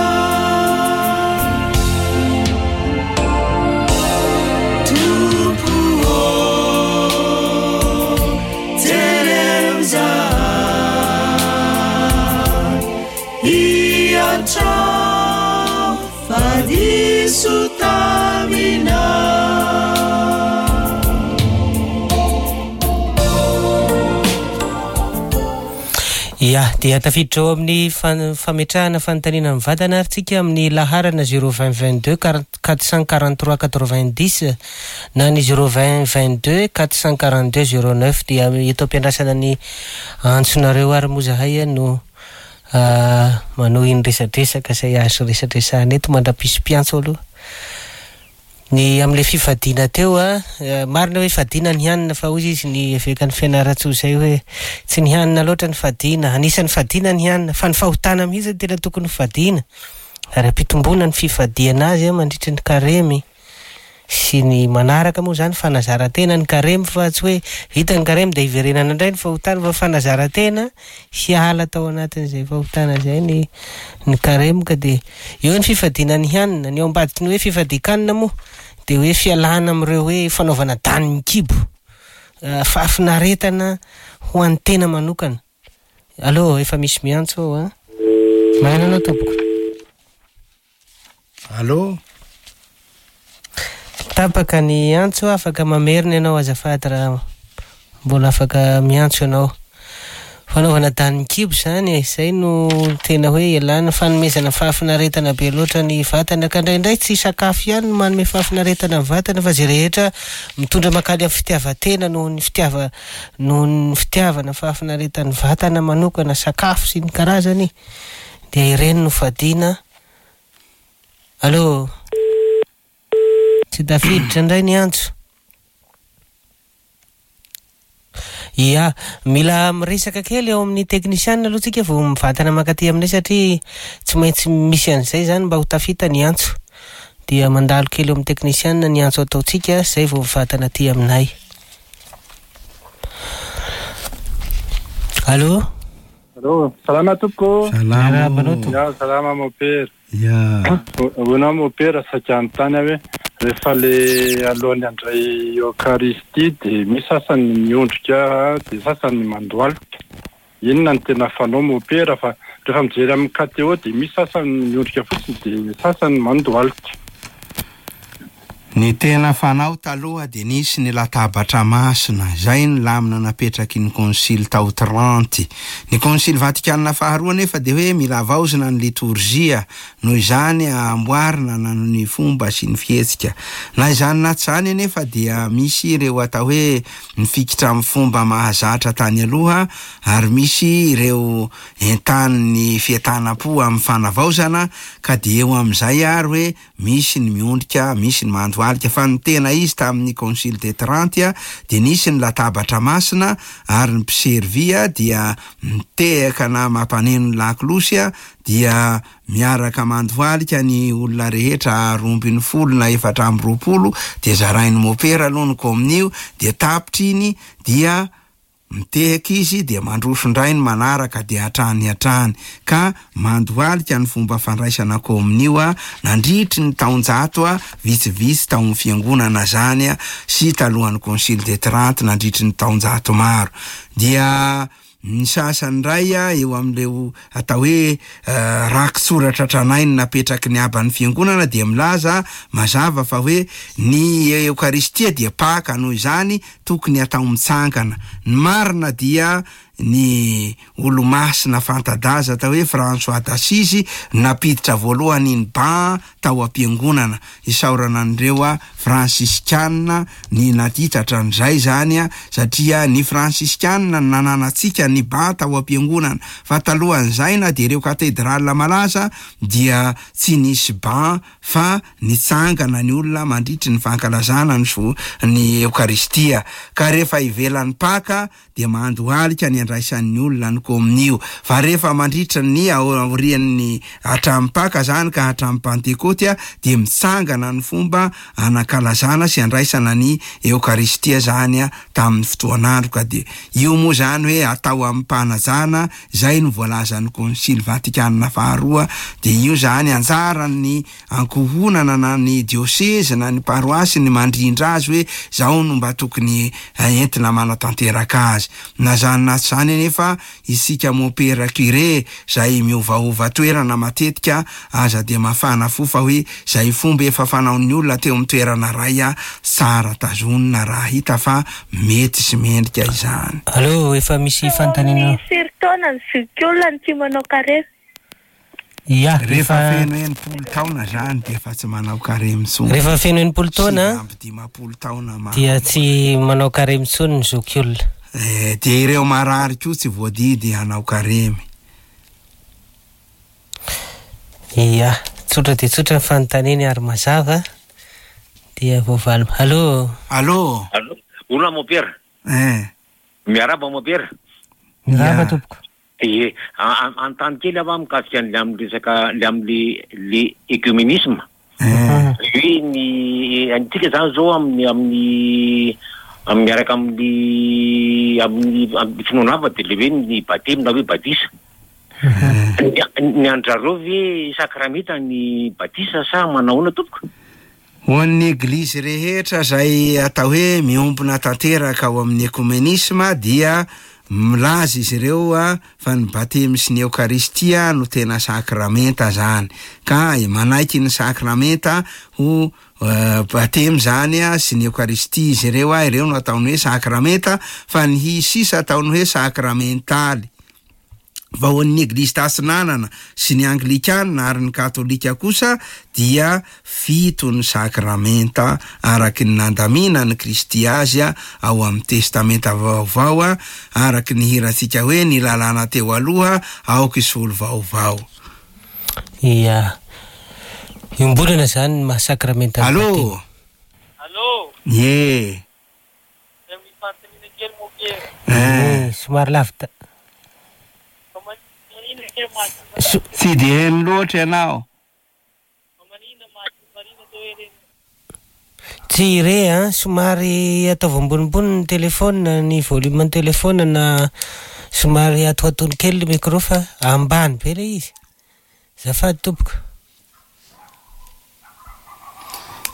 Tompo ô, jereo izahay. Iantrao fa diso taminao. Ya, dia tafiditra ao amin'ny fametrahana fanontaniana mivantana ary tsika amin'ny laharana zéro vingt vingt deux 443 90 na ny zéro vingt vingt deux 442 09. Dia eto am-piandrasana ny antsonareo ary moa zahay no manohy ny resadresaka izay azo resadresahana eto mandra-pisy mpiantso aloha. Ny amin'ilay fifadiana teo, marina hoe fadiana ny hanina, fa hoy izy ny evekan'ny Fianarantsoa izay hoe tsy ny hanina loatra ny fadiana, anisan'ny fadiana ny hanina, fa ny fahotana mihitsy no tena tokony ho fadiana, ary ampitomboana ny fifadiana azy mandritry ny karemy sy ny manaraka moa izany fanazaran-tena ny karemy, fa tsy hoe vita ny karemy dia hiverenana indray ny fahotana, fa fanazaran-tena hiala tao anatin'izay fahotana izay ny karemy. Ka dia eo ny fifadiana ny hanina. Ny ao ambadiky ny hoe fifadian-kanina moa dia hoe fialana amin'ireo hoe fanaovana danin'ny kibo, fahafinaretana ho an'ny tena manokana. Allô, efa misy miantso ao a. Marina anao tompoko. Allô? Tapaka ny antso, afaka mamerina ianao azafady raha mbola afaka miantso ianao. Fanaovana danin'ny kibo izany e, izay no tena hoe ialana fanomezana fahafinaretana be loatra ny vatana, ka indraindray tsy sakafo ihany no manome fahafinaretana ny vatana, fa izay rehetra mitondra mankany amin'ny fitiavan-tena noho ny fitiava-, noho ny fitiavana fahafinaretan'ny vatana manokana, sakafo sy ny karazany, dia ireny no fadiana. Allô? Tsy tafiditra indray ny antso. Ia, mila miresaka kely eo amin'ny teknisianina aloha tsika vao mivantana mankaty aminay satria tsy maintsy misy an'izay izany mba ho tafita ny antso. Dia mandalo kely eo amin'ny teknisianina ny antso ataontsika izay vao mivantana aty aminay. Allô? Allô, salama tompoko. Salama. Miarahaba anao tompoko. Ya, salama mon père. Ya. Hoy mon père, saika anontany aho hoe rehefa le alohan'ny handray Eokaristia dia misy sasany miondrika dia sasany mandohalika. Inona no tena fanao mon père? Fa rehefa mijery amin'ny KTO dia misy sasany miondrika fotsiny dia sasany mandohalika. Ny tena fanao taloha dia nisy ny latabatra masina, izay ny lamina napetraky ny konsily tao Trente. Ny konsily Vatikana faharoa anefa dia hoe mila havaozina ny litorzia, noho izany amboarina na ny fomba sy ny fihetsika. Na izany na tsy izany anefa dia misy ireo atao hoe mifikitra amin'ny fomba mahazatra tany aloha, ary misy ireo entanin'ny fientanam-po amin'ny fanavaozana, ka dia eo amin'izay ary hoe misy ny miondrika, misy ny mandohalika, fa ny tena izy tamin'ny Concile de Trente dia nisy ny latabatra masina ary ny mpiservy dia mitehaka na mampaneno ny lakolosy dia miaraka mandohalika ny olona rehetra 12 na 24, dia zarain'ny mopera aloha ny kominio, dia tapitra iny dia Mitehaka izy dia mandroso indray ny manaraka dia hatrany hatrany ka mandohalika ny fomba fandraisana kominio nandritry ny taonjato vitsivitsy tao amin'ny fiangonana zany sy talohan'ny Concile de Trente nandritry ny taonjato maro. Dia ny sasany indray eo amin'ireo atao hoe rakitsoratra tranainy napetraky ny haban'ny fiangonana dia milaza mazava fa hoe ny Eokaristia dia Paka, noho izany tokony atao mitsangana. Ny marina dia ny olomasina fanta-daza atao hoe François d'Assise nampiditra voalohany ny ban tao am-piangonana. Isaorana an'ireo Fransiskana ny naditra hatramin'izay izany satria ny Fransiskana no nananantsika ny ban tao am-piangonana fa talohan'izay na dia ireo katedrala malaza dia tsy nisy ban fa nitsangana ny olona mandritry ny fankalazana ny so ny Eokaristia ka rehefa ivelan'ny Paka dia mandohalika ny andraisan'ny olona ny kominio fa rehefa mandritra ny aorian'ny hatramin'ny Paka zany ka hatramin'ny Pantekoty dia mitsangana ny fomba anankalazana sy andraisana ny Eokaristia zany tamin'ny fotoan'andro ka dia io moa zany hoe atao amim-panajana izay no voalazan'ny Konsily Vatikana faharoa dia io zany anjaran'ny ankohonana na ny diosezy na ny paroasy ny mandrindra azy hoe zao no mba tokony entina manatanteraka azy. Na zany na tsy zany anefa isika mompera curé zay miovaova toerana matetika aza dia mafana fo fa hoe zay fomba efa fanaon'ny olona teo amin'ny toerana ray tsara tazonina raha hita fa mety sy mendrika izany. Allo, efa misy fanontaniana. Amin'ny firy taona ny zokiolona no tsy manao karemy? Ia, Rehefa feno 60 taona zany dia efa tsy manao karemy intsony. Rehefa feno 60 taona 59 taona ma. dia tsy manao karemy intsony ny zokiolona. Eh, dia ireo marary koa tsy voadidy hanao karemy. Ia, tsotra dia tsotra ny fanontaniany ary mazava dia voavaly. Allo. Allo. Allo. Olona mompera. Eh. Miarahaba mompera. Miarahaba tompoko. Ie, anontany kely aho mikasika an'ilay amin'ny resaka ilay amin'le le écuménisme. Hoe ny antsika zany zao amin'ny amin'ny amin'ny miaraka amin'ny amin'ny amin'ny finoana hafa dia le hoe ny batemy na hoe batisa. Ny ny an-dRareo ve sakramenta ny batisa sa manao ahoana tompoko? Ho an'ny Eglizy rehetra izay atao hoe miombona tanteraka ao amin'ny ekomenisma dia milaza izy ireo fa ny batemy sy ny eokaristia no tena sakramenta zany ka manaiky ny sakramenta ho batemy zany sy ny eokaristia izy ireo, ireo no ataony hoe sakramenta fa ny hi sisa ataony hoe sakramentaly. Fa ho an'ny Eglizy Tatsinanana sy ny Anglikana ary ny Katolika kosa dia fito ny sakramenta araky ny nandaminan'i Kristy azy ao amin'ny Testamenta Vaovao araky ny hirantsika hoe ny lalàna teo aloha aoka hisolo vaovao. Ia. Iombonana izany ny maha sakramenta ny Allo! batemy. Allo! Ie. Eh, somary lavitra. Tsy dia heno loatra ianao. Tsy re an, somary ataovy ambonimbony ny téléphone, ny volume ny téléphone na somary atoatony kely ny micro fa ambany be ilay izy. Azafady tompoko.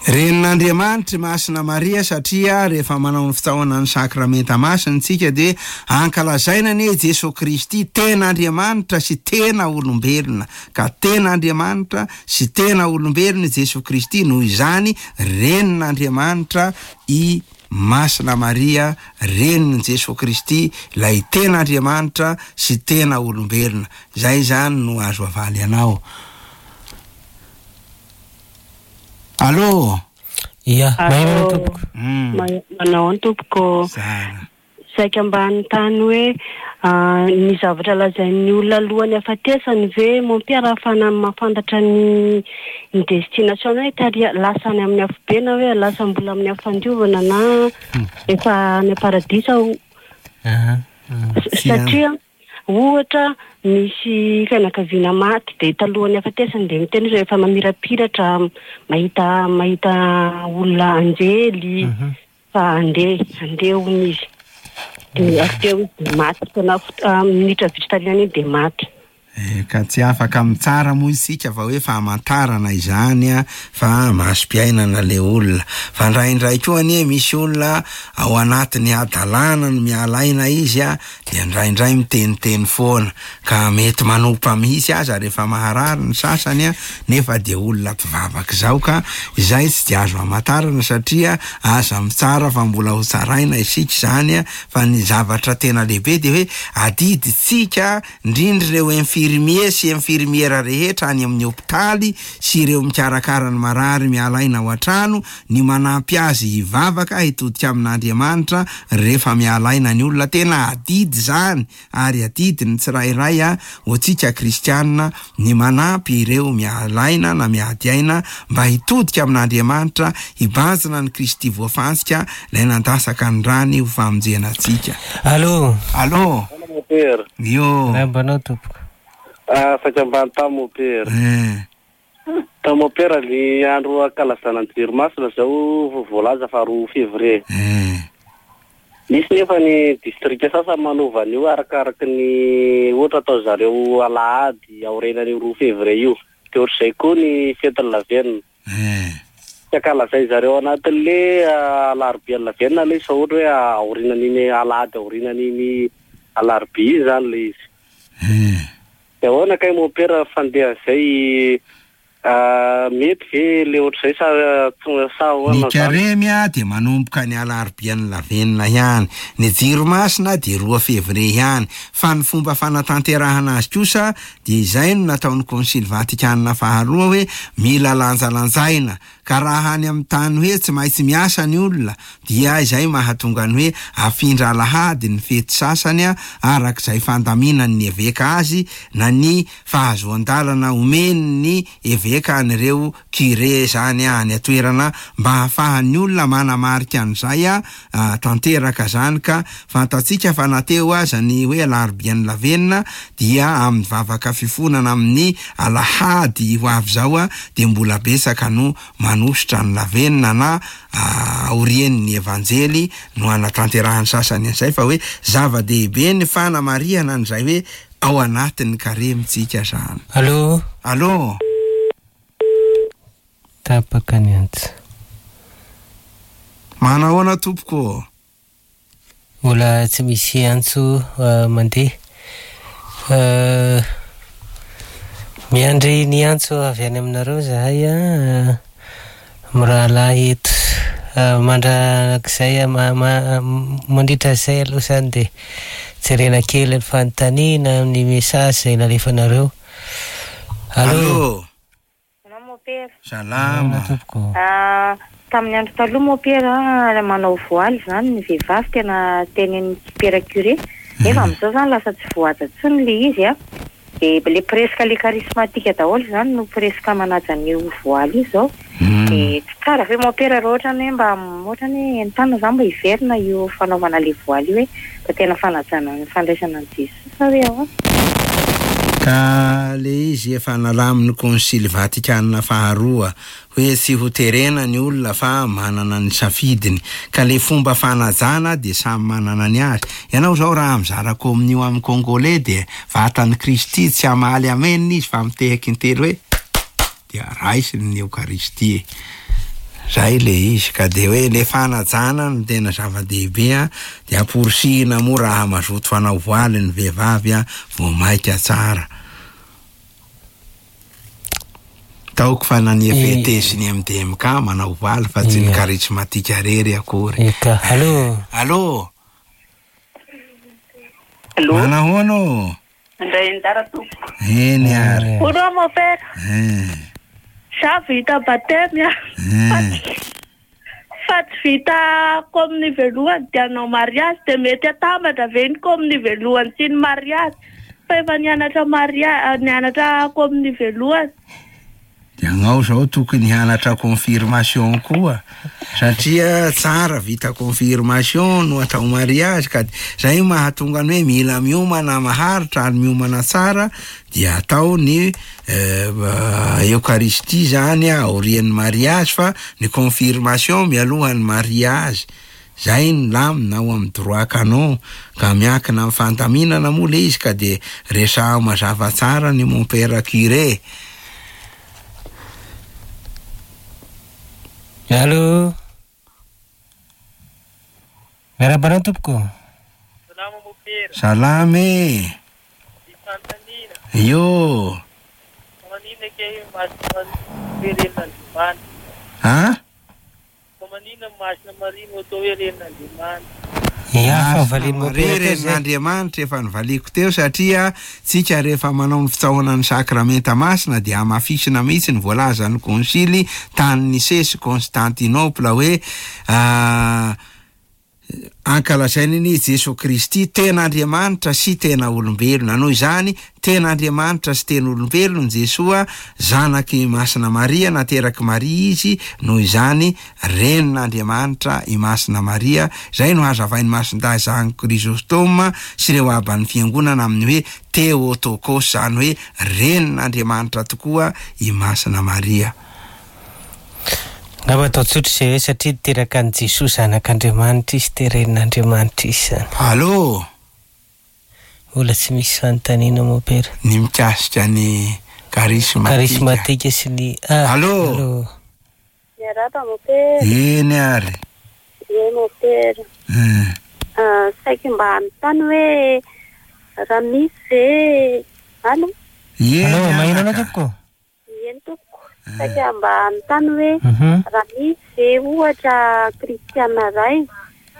Renin'Andriamanitra i Masina Maria satria rehefa manao ny fitsaohana ny Sakramenta Masina isika dia ankalazaina anie i Jesoa Kristy tena Andriamanitra sy tena olombelona ka tena Andriamanitra sy tena olombelona i Jesoa Kristy noho izany Renin'Andriamanitra i Masina Maria Renin'i Jesoa Kristy ilay tena Andriamanitra sy tena olombelona. Izay izany no azo avaly anao. Allô! Ia, Allô. maheno tompoko. Manao ahoana tompoko? Zara. Saika mba hanontany hoe ny zavatra lazain'ny olona alohan'ny hafatesany ve mon père ahafahana mahafantatra ny ny destination hoe tary lasa any amin'ny afobe na hoe lasa mbola amin'ny afo fandiovana na efa any am-paradisa Satria Ohatra, misy fianakaviana maty dia talohan'ny hafatesany dia miteny izy hoe efa mamirapiratra, mahita mahita olona anjely fa handeha, handeha hono izy. Dia avy teo izy dia maty tena minitra vitsy taorian'iny dia maty. Eh, ka tsy afaka mitsara moa isika fa hoe famantarana izany a, fa masom-piainana le olona. Fa indraindray koa anie misy olona ao anatin'ny hadalana no miala aina izy a, dia indraindray miteniteny foana, ka mety manompa mihitsy aza rehefa maharary ny sasany a, nefa dia olona mpivavaka izao ka izay tsy dia azo amantarana satria aza mitsara fa mbola ho tsaraina isika izany a, fa ny zavatra tena lehibe dia hoe adidintsika indrindra ireo infirmier sy infirmiera rehetra any amin'ny hopitaly sy ireo mikarakara ny marary miala aina ao an-trano ny manampy azy hivavaka hitodika amin'Andriamanitra rehefa miala aina ny olona. Tena adidy izany ary adidy ny tsirairay ho antsika kristianina ny manampy ireo miala aina na miady aina mba hitodika amin'Andriamanitra, hibanjina an'i Kristy voafantsika ilay nandasaka ny rany ho famonjena antsika. Allô. Allô. Mopera. Yo. Miarahaba anao tompoko. Ah, saika ambany tany mopera. Eh. Tany mopera ny andro ankalazana ny jiro masina zao vao voalaza fa 2 février. Eh. Misy nefa ny distrika sasany manova an'io arakaraky ny ohatra atao zareo alahady aorianan'io 2 février io. Dia ohatr'izay koa ny fetin'ny lavenona. Eh. Tsy ankalazain zareo anatin'le alarobian'ny lavenona ilay izy fa ohatra hoe aorianan'iny alahady aorianan'iny alarobia iny izany ilay izy. Eh. Dia ahoana kay mompera fandehan'izay mety ve le ohatr'izay sa sa ahoana Ny izany? karemy dia manomboka ny alarobian'ny lavenona ihany, ny jiro masina dia 2 février ihany, fa ny fomba fanatanterahana azy kosa dia izay no nataon'ny Konsily Vatikana faharoa hoe mila lanjalanjaina, ka raha any amin'ny tany hoe tsy maintsy miasa ny olona dia izay mahatonga ny hoe afindra alahady ny fety sasany araka izay fandaminan'ny eveka azy na ny fahazoan-dalana omen'ny eveka an'ireo curé izany any an-toerana mba hahafahan'ny olona manamarika an'izay tanteraka izany ka fantatsika fa na teo aza ny hoe alarobian'ny lavenona dia amin'ny vavaka fifonana amin'ny alahady ho avy izao dia mbola betsaka no manosotra ny lavenona na aorian'ny evanjely no hanatanterahan'ny sasany an'izay fa hoe zava-dehibe ny fanamarihana an'izay hoe ao anatin'ny karemy tsika izany. Allô. Allô. Tapaka ny antso. Manahoana tompoko ô? Mbola tsy misy antso mandeha. Miandry ny antso avy any aminareo zahay mirahalahy eto. Mandrakizay mandritra izay aloha izany dia jerena kely ny fanontaniana amin'ny message izay nalefanareo. Allô. Salama Mopera. Salama. Tompoko. Ah, tamin'ny andro taloha Mopera, manao voaly izany ny vehivavy tena tenenin'ny pera curé. Nefa amin'izao izany lasa tsy voahaja intsony ilay izy a. Dia le presque le charismatique daholo izany no presque manaja an'io voaly io izao. Dia tsy tsara ve Mopera raha ohatra ny hoe mba ohatra ny hoe entanina izany mba hiverina io fanaovana le voaly io hoe mba tena fanajana ny fandraisana an'i Jesoa sa hoe ahoana? Ka le izy efa nalamin'ny Konsily Vatikana faharoa hoe tsy ho terena ny olona fa manana ny safidiny. Ka le fomba fanajana dia samy manana ny azy. Ianao zao raha mizara kominio amin'ny Congolais dia vatan'i Kristy tsy hamaly amen izy fa mitehaka intelo hoe dia raisiny ny Eokaristia e. Zay le izy ka dia hoe le fanajana no tena zava-dehibe a, dia amporisihina moa raha mazoto hanao voaly ny vehivavy a, vao maika tsara. Taoko fa na ny FET sy ny MDMK manao voaly fa tsy ny charismatique rery akory. Eka. Allô. Allô. Allô. Manahoana ô? Mandray anjara tompoko. Eny ary. Bonjour mon père. Eh. Za vita baptême a. Eh. Fa tsy vita communie voalohany dia hanao mariage dia mety atambatra ve ny communie voalohany sy ny mariage fa efa nianatra mariage nianatra communie voalohany. Ianao zao tokony hianatra confirmation koa satria tsara vita confirmation no atao mariage ka zay mahatonga ny hoe mila miomana maharitra ary miomana tsara dia atao ny eucharistie zany aorian'ny mariage fa ny confirmation mialohan'ny mariage. Zay ny lamina ao amin'ny droit canon ka miankina amin'ny fandaminana moa le izy ka de resaho mazava tsara ny mompera curé. Allo. Miarahaba anao tompoko. Salama mopera. Salama e. Misy fanontaniana. Io. Fa maninona kay Masina Maria hoe renin'Andriamanitra? An? Fa maninona Masina Maria no atao hoe renin'Andriamanitra? Masina Maria renin'Andriamanitra efa novaliako teo satria tsika rehefa manao ny fitsaohana ny sakramenta masina dia hamafisina mihitsy ny voalazan'ny konsily tany Nicée sy Constantinople hoe Ankalazaina anie i Jesoa Kristy, tena Andriamanitra sy tena olombelona. Noho izany, tena Andriamanitra sy tena olombelona Jesoa, zanak'i Masina Maria, naterak'i Maria Izy, noho izany, Renin'Andriamanitra i Masina Maria, izay no hazavain'i Masindahy Jean Chrysostome sy ireo Aban'ny Fiangonana amin'ny hoe Theotokos, izany hoe Renin'Andriamanitra tokoa i Masina Maria. Angamba atao tsotra izay hoe satria niteraka an'i Jesoa zanak'Andriamanitra izy dia renin'Andriamanitra izy izany. Allo! Mbola tsy misy fanontaniana mompera. Ny mikasika ny charismatique. Charismatique sy ny ah! Allo! Allo! Miarahaba mompera. Eny ary. Ie mompera. Eh. Saiky mba hanontany hoe raha misy ve Allo? Eny Allo, maheno anao anaka. tompoko? Eny tompoko, saika mba hanontany hoe raha misy ve ohatra kristiana iray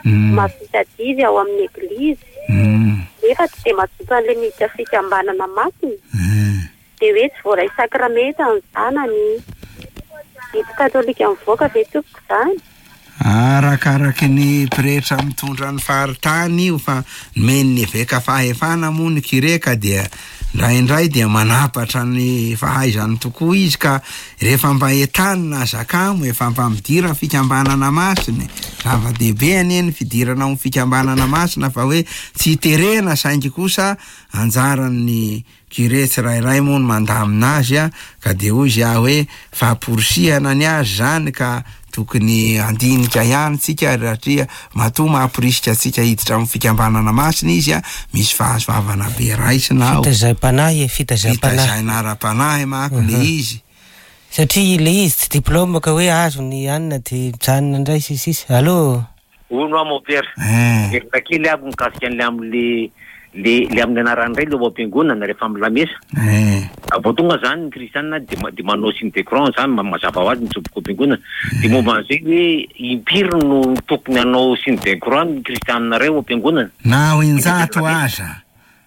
mahavita adidy ao amin'ny eglizy nefa tsy dia mazoto an'ilay miditra fikambanana masina dia hoe tsy voaray sakramenta ny zanany, didy katolika mivoaka ve tompoko izany? Arakaraky ny pretra mitondra ny faritany io fa nomen'ny eveka fahefana moa ny curé ka dia indraindray dia manapatra ny fahaizany tokoa izy ka rehefa mba entanina aza kamo efa mba midira fikambanana masina e! Zava-dehibe anie ny fidirana ao fikambanana masina fa hoe tsy terena saingy kosa anjaran'ny Curé tsirairay moa no mandamina azy a, ka dia hoy za hoe famporisihana ny azy zany ka tokony handinika ihany tsika satria matoa mamporisika antsika hiditra amin'ny fikambanana masina izy a, misy fahasoavana be raisina ao. Fitaizam-panahy e, fitaizam-panahy. Fitazaina ara-panahy manko le izy. Satria le izy tsy diplôme ka hoe azo ny anona dia mijanona indray sy ny sisa. Allo. Hono aho mon père, hevitra kely aho mikasika an'le amin'le le le amin'ny anaran'ny Ray le ao am-piangonana rehefa amin'ny lamesa. Vao tonga zany ny kristiana de de manao signe de croix zany mazava ho azy mitsoboka ao am-piangonana. De momba an'izay hoe impiry no tokony hanao signe de croix ny kristiana iray ao am-piangonana? Na ho injato aza.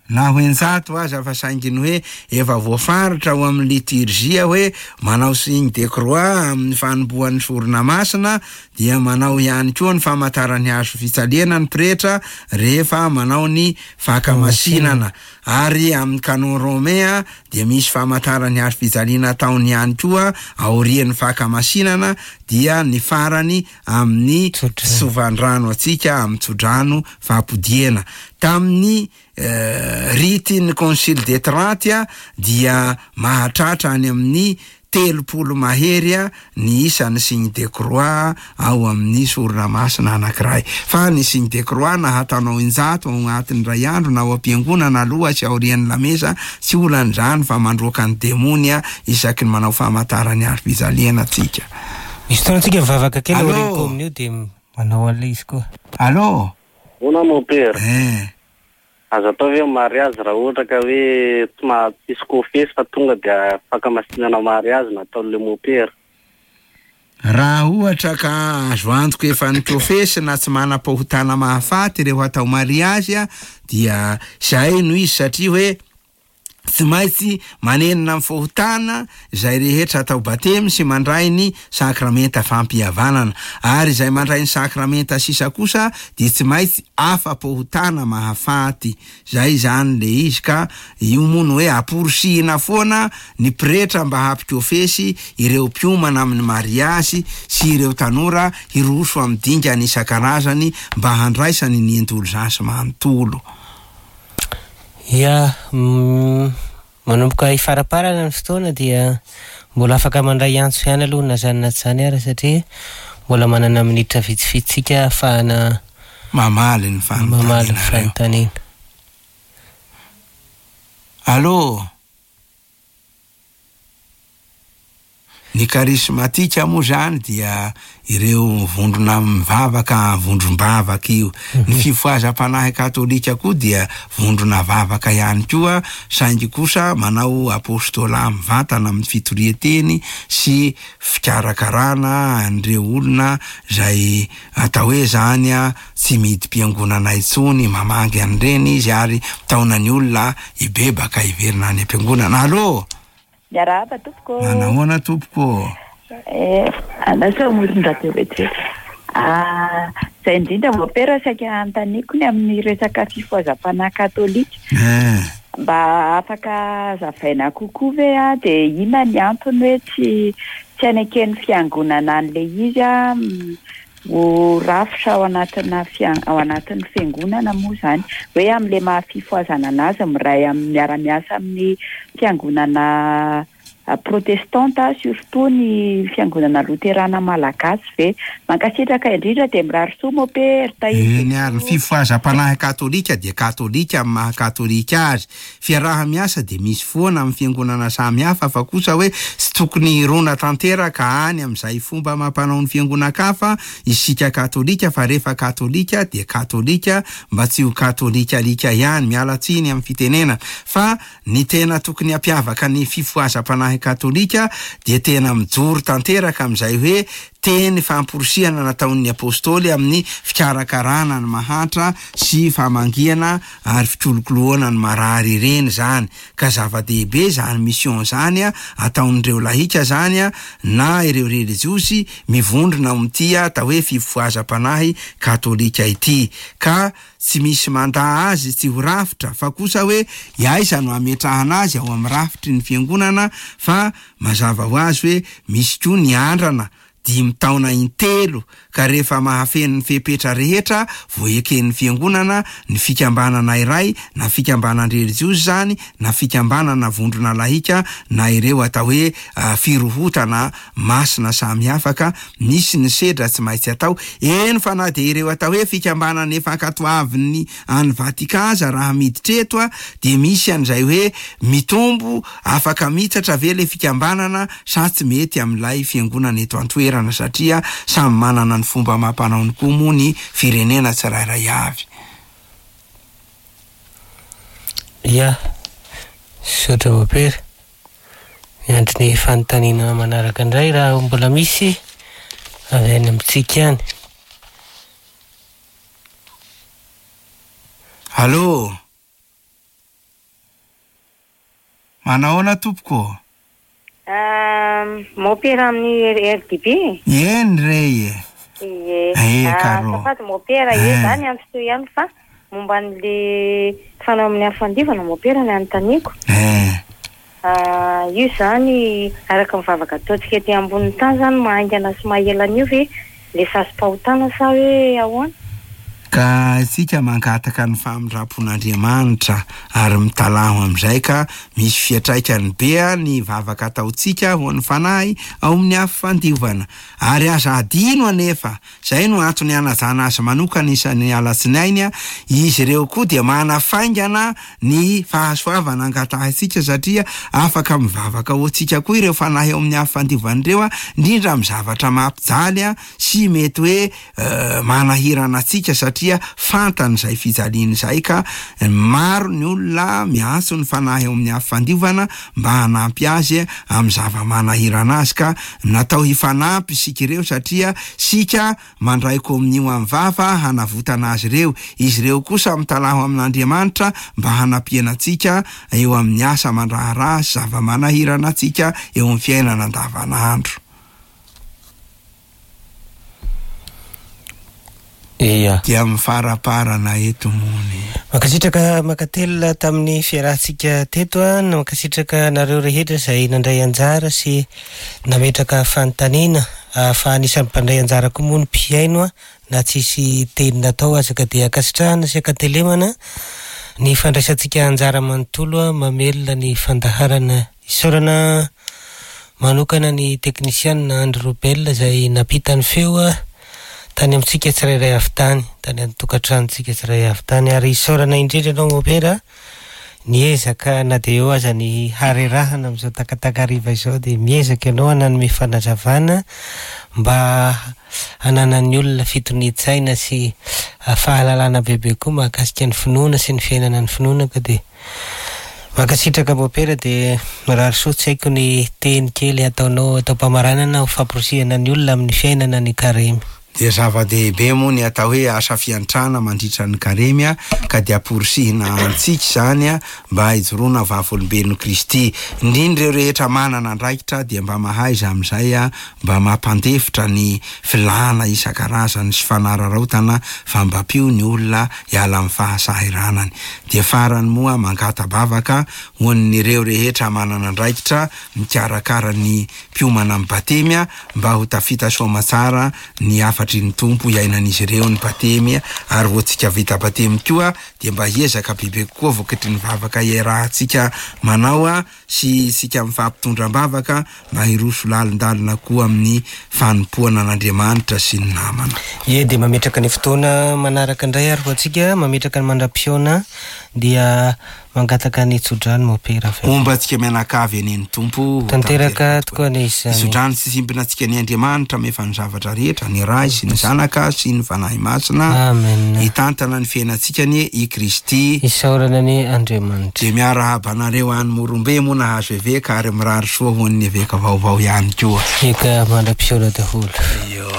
Na ho injato aza fa saingy ny hoe efa voafaritra ao amin'ny liturgie hoe manao signe de croix amin'ny fanombohan'ny sorona masina dia manao ihany koa ny famantaran'ny hazo fijaliana ny pretra rehefa manao ny fankamasinana ary amin'ny canon romain dia misy famantaran'ny hazo fijaliana ataony ihany koa aorian'ny fankamasinana dia ny farany amin'ny fitsovan-drano antsika amin'ny tsodrano fampodiana. Tamin'ny rite ny Concile de Trente dia mahatratra any amin'ny 30 mahery ny isan'ny signe de croix ao amin'ny sorona masina anankiray. Fa ny signe de croix na hataonao injato ao agnatin'ny iray andro na ao am-piangonana aloha sy aorian'ny lamesa tsy olana izany fa mandroaka ny demony isaky ny manao famantaran'ny hazofijaliana tsika. Misy fotoana tsika mivavaka kely Allô? aorian'ny communio dia manao an'ilay izy koa. Allô? Ahoana mon père? Eh. Azo atao ve ny mariazy raha ohatra ka hoe tsy maha tsisy kofesy fa tonga dia fankamasinana mariazy no ataon'ilay mopera? Raha ohatra ka azo antoka efa nikofesy na tsy manam-pahotana mahafaty ireo hatao mariazy dia izay no izy satria hoe Tsy maintsy manenina amin'ny fahotana izay rehetra atao batemy sy mandray ny sakramenta fampihavanana. Ary izay mandray ny sakramenta sisa kosa dia tsy maintsy afa-pahotana mahafaty. Izay izany le izy ka io moa no hoe amporisihina foana ny pretra mba hampikofesy ireo mpiomana amin'ny mariazy sy ireo tanora hiroso amin'ny dingana isan-karazany mba handraisany ny indolzansy manontolo. Ya, manomboka hifaraparana ny fotoana dia mbola afaka mandray antso ihany aloha na izany na tsy izany ara satria Mbola manana minitra vitsivitsy tsika ahafahana Mamaly ny mamaly ny fanontanianareo. fanontaniana. Allô? Ny karismatika moa izany dia ireo vondrona mivavaka vondrom-bavaka io. Ny fifohazam-panahy katolika koa dia vondrona vavaka ihany koa saingy kosa manao apostolat mivantana amin'ny fitorian-teny sy fikarakarana an'ireo olona izay atao hoe izany tsy midi-piangonana intsony, mamangy an'ireny izy ary mitaona ny olona hibebaka hiverina any am-piangonana. Allô? Miarahaba tompoko ô. Manahoana tompoko ô. Eh, andraso amoron-dradio vetivety. Ah, izay indrindra mompera saika hanontaniako ny amin'ny resaka fifohazam-panahy katolika. Eh. Mba afaka hazavaina kokoa ve ah, dia inona ny antony hoe tsy tsy aneken'ny fiangonana an'ilay izy ah, ho rafitra ao anatina fian- ao anatin'ny fiangonana moa izany hoe amin'ilay maha fifohazana anazy miray amin'ny miara-miasa amin'ny fiangonana protestanta surtout ny fiangonana loterana malagasy ve? Mankasitraka indrindra dia mirary soa Mopera, tahiry Eny ary, ny fifohazam-panahy katolika dia katolika amin'ny maha katolika azy. Fiaraha-miasa dia misy foana amin'ny fiangonana samy hafa fa kosa hoe tsy tokony hirona tanteraka any amin'izay fomba amam-panao ny fiangonan-kafa isika katolika fa rehefa katolika dia katolika mba tsy ho katolika alika ihany, miala tsiny amin'ny fitenenana fa ny tena tokony hampiavaka ny fifohazam-panahy katolika dia tena mijoro tanteraka amin'izay hoe teny famporisihana nataon'ny Apostoly amin'ny fikarakarana ny mahantra sy famangiana ary fikolokoloana ny marary ireny izany ka zava-dehibe izany mission izany ataon'ireo lahika izany na ireo relijiozy mivondrona ao amin'ity atao hoe fifohazam-panahy katolika ity ka tsy misy mandà azy tsy ho rafitra fa kosa hoe aiza no hametrahana azy ao amin'ny rafitry ny fiangonana fa mazava ho azy hoe misy koa ny andrana dimy taona intelo ka rehefa mahafeno ny fepetra rehetra vao eken'ny fiangonana ny fikambanana iray na fikambanan-drelijiozy izany na fikambanana vondrona lahika na ireo atao hoe firohotana masina samihafa ka misy ny sedra tsy maintsy atao eny fa na dia ireo atao hoe fikambanana efa ankatoavin'ny any Vatican aza raha miditra eto dia misy an'izay hoe mitombo afaka mitsatra ve le fikambanana sa tsy mety amin'ilay fiangonana eto an-toerana satria samy manana ny fomba amam-panaony koa moa ny firenena tsirairay avy. Ya, misaotra Mopera. Miandry ny fanontaniana manaraka indray raha mbola misy avy any amintsika any. Allô! Manahoana tompoko ô? Mopera amin'ny RDB? Eny re e! Ie. Eh, Caro. Azafady mopera, ie za niantso teo ihany fa momba an'le fanao amin'ny afo fandivana mopera ny anontaniako. Eh. Io izany araka ny vavaka ataontsika ety ambonin'ny tany izany mahaingana sy mahela an'io ve le sazim-pahotana sa hoe ahoana? Ka isika mangataka ny famindrampon'Andriamanitra ary mitalaho amin'izay ka misy fiantraikany be ny vavaka ataontsika ho an'ny fanahy ao amin'ny afo fandiovana. Ary aza adino anefa, izay no antony hanajana azy manokana isan'ny alatsinainy, izy ireo koa dia manafaingana ny fahasoavana angatahintsika satria afaka mivavaka ho antsika koa ireo fanahy ao amin'ny afo fandiovana ireo, indrindra amin'ny zavatra mampijaly sy mety hoe manahirana antsika satria fantany izay fijaliana izay ka maro ny olona miantso ny fanahy ao amin'ny afo fandiovana mba hanampy azy amin'ny zava-manahirana azy ka natao hifanampy isika ireo satria isika mandray kominio amin'ny vava hanavotana azy ireo, izy ireo kosa mitalaho amin'Andriamanitra mba hanampiana antsika eo amin'ny asa aman-draharaha sy zava-manahirana antsika eo amin'ny fiainana andavanandro. Ia. Dia mifaraparana eto moa ny. Mankasitraka mankatelina tamin'ny fiarahantsika teto an, mankasitraka anareo rehetra izay nandray anjara sy nametraka fanontaniana fa anisan'ny mpandray anjara koa moa ny mpihaino na tsisy teny natao aza ka dia ankasitrahana sy ankatelemana ny fandraisantsika anjara manontolo mamelona ny fandaharana. Isaorana. manokana ny teknisianina Andry Robel izay nampita ny feo tany amintsika tsirairay avy tany, tany an-tokantranontsika tsirairay avy tany. Ary isaorana indrindra ianao Mopera niezaka na dia eo aza ny harerahana amin'izao takatakariva izao dia miezaka ianao nanome fanazavana mba hananan'ny olona fitonian-tsaina sy fahalalana bebe koa mahakasika ny finoana sy ny fiainana ny finoana ka dia mankasitraka Mopera dia mirary soa tsy haiko ny teny kely hataonao atao am-pamaranana ho famporisihana ny olona amin'ny fiainana ny karemy. Dia zava-dehibe moa ny atao hoe asa fiantrana mandritra ny karemy ka dia amporisihina antsika izany mba hijoroana vavolombelon'i Kristy. Indrindra ireo rehetra manana andraikitra dia mba mahaiza amin'izay mba mampandefitra ny filàna isan-karazany sy fanararaotana fa mba ampio ny olona hiala amin'ny fahasahiranany. Dia farany moa mangata-bavaka ho an'ireo rehetra manana andraikitra mikarakara ny mpiomana amin'ny batemy mba ho tafita soamatsara ny hafatry ny Tompo hiainan'izy ireo ny batemy ary ho antsika vita batemy koa dia mba hiezaka bebe kokoa vokatry ny vavaka iarahantsika manao sy isika mifampitondra am-bavaka mba hiroso lalindalina koa amin'ny fanompoana an'Andriamanitra sy ny namana. Ie dia mametraka ny fotoana manaraka indray ary ho antsika mametraka ny mandra-pihaona dia Mangataka ny tsodrano Mopera avy eo. Homba antsika mianakavy anie ny Tompo ho Tanteraka tokoa anie izany. Tsodrano sy simbina antsika anie Andriamanitra mahefa ny zavatra rehetra, ny Ray sy ny Zanaka sy ny Fanahy Masina. Amen. Hitantana ny fiainantsika anie i Kristy. Isaorana anie Andriamanitra. Dia miarahaba anareo any Morombe moa nahazo eveka ary mirary soa ho an'ny eveka vaovao ihany koa. Eka mandra-pihaona daholo. Io.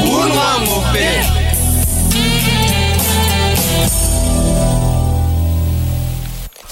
Hono hoa Mopera.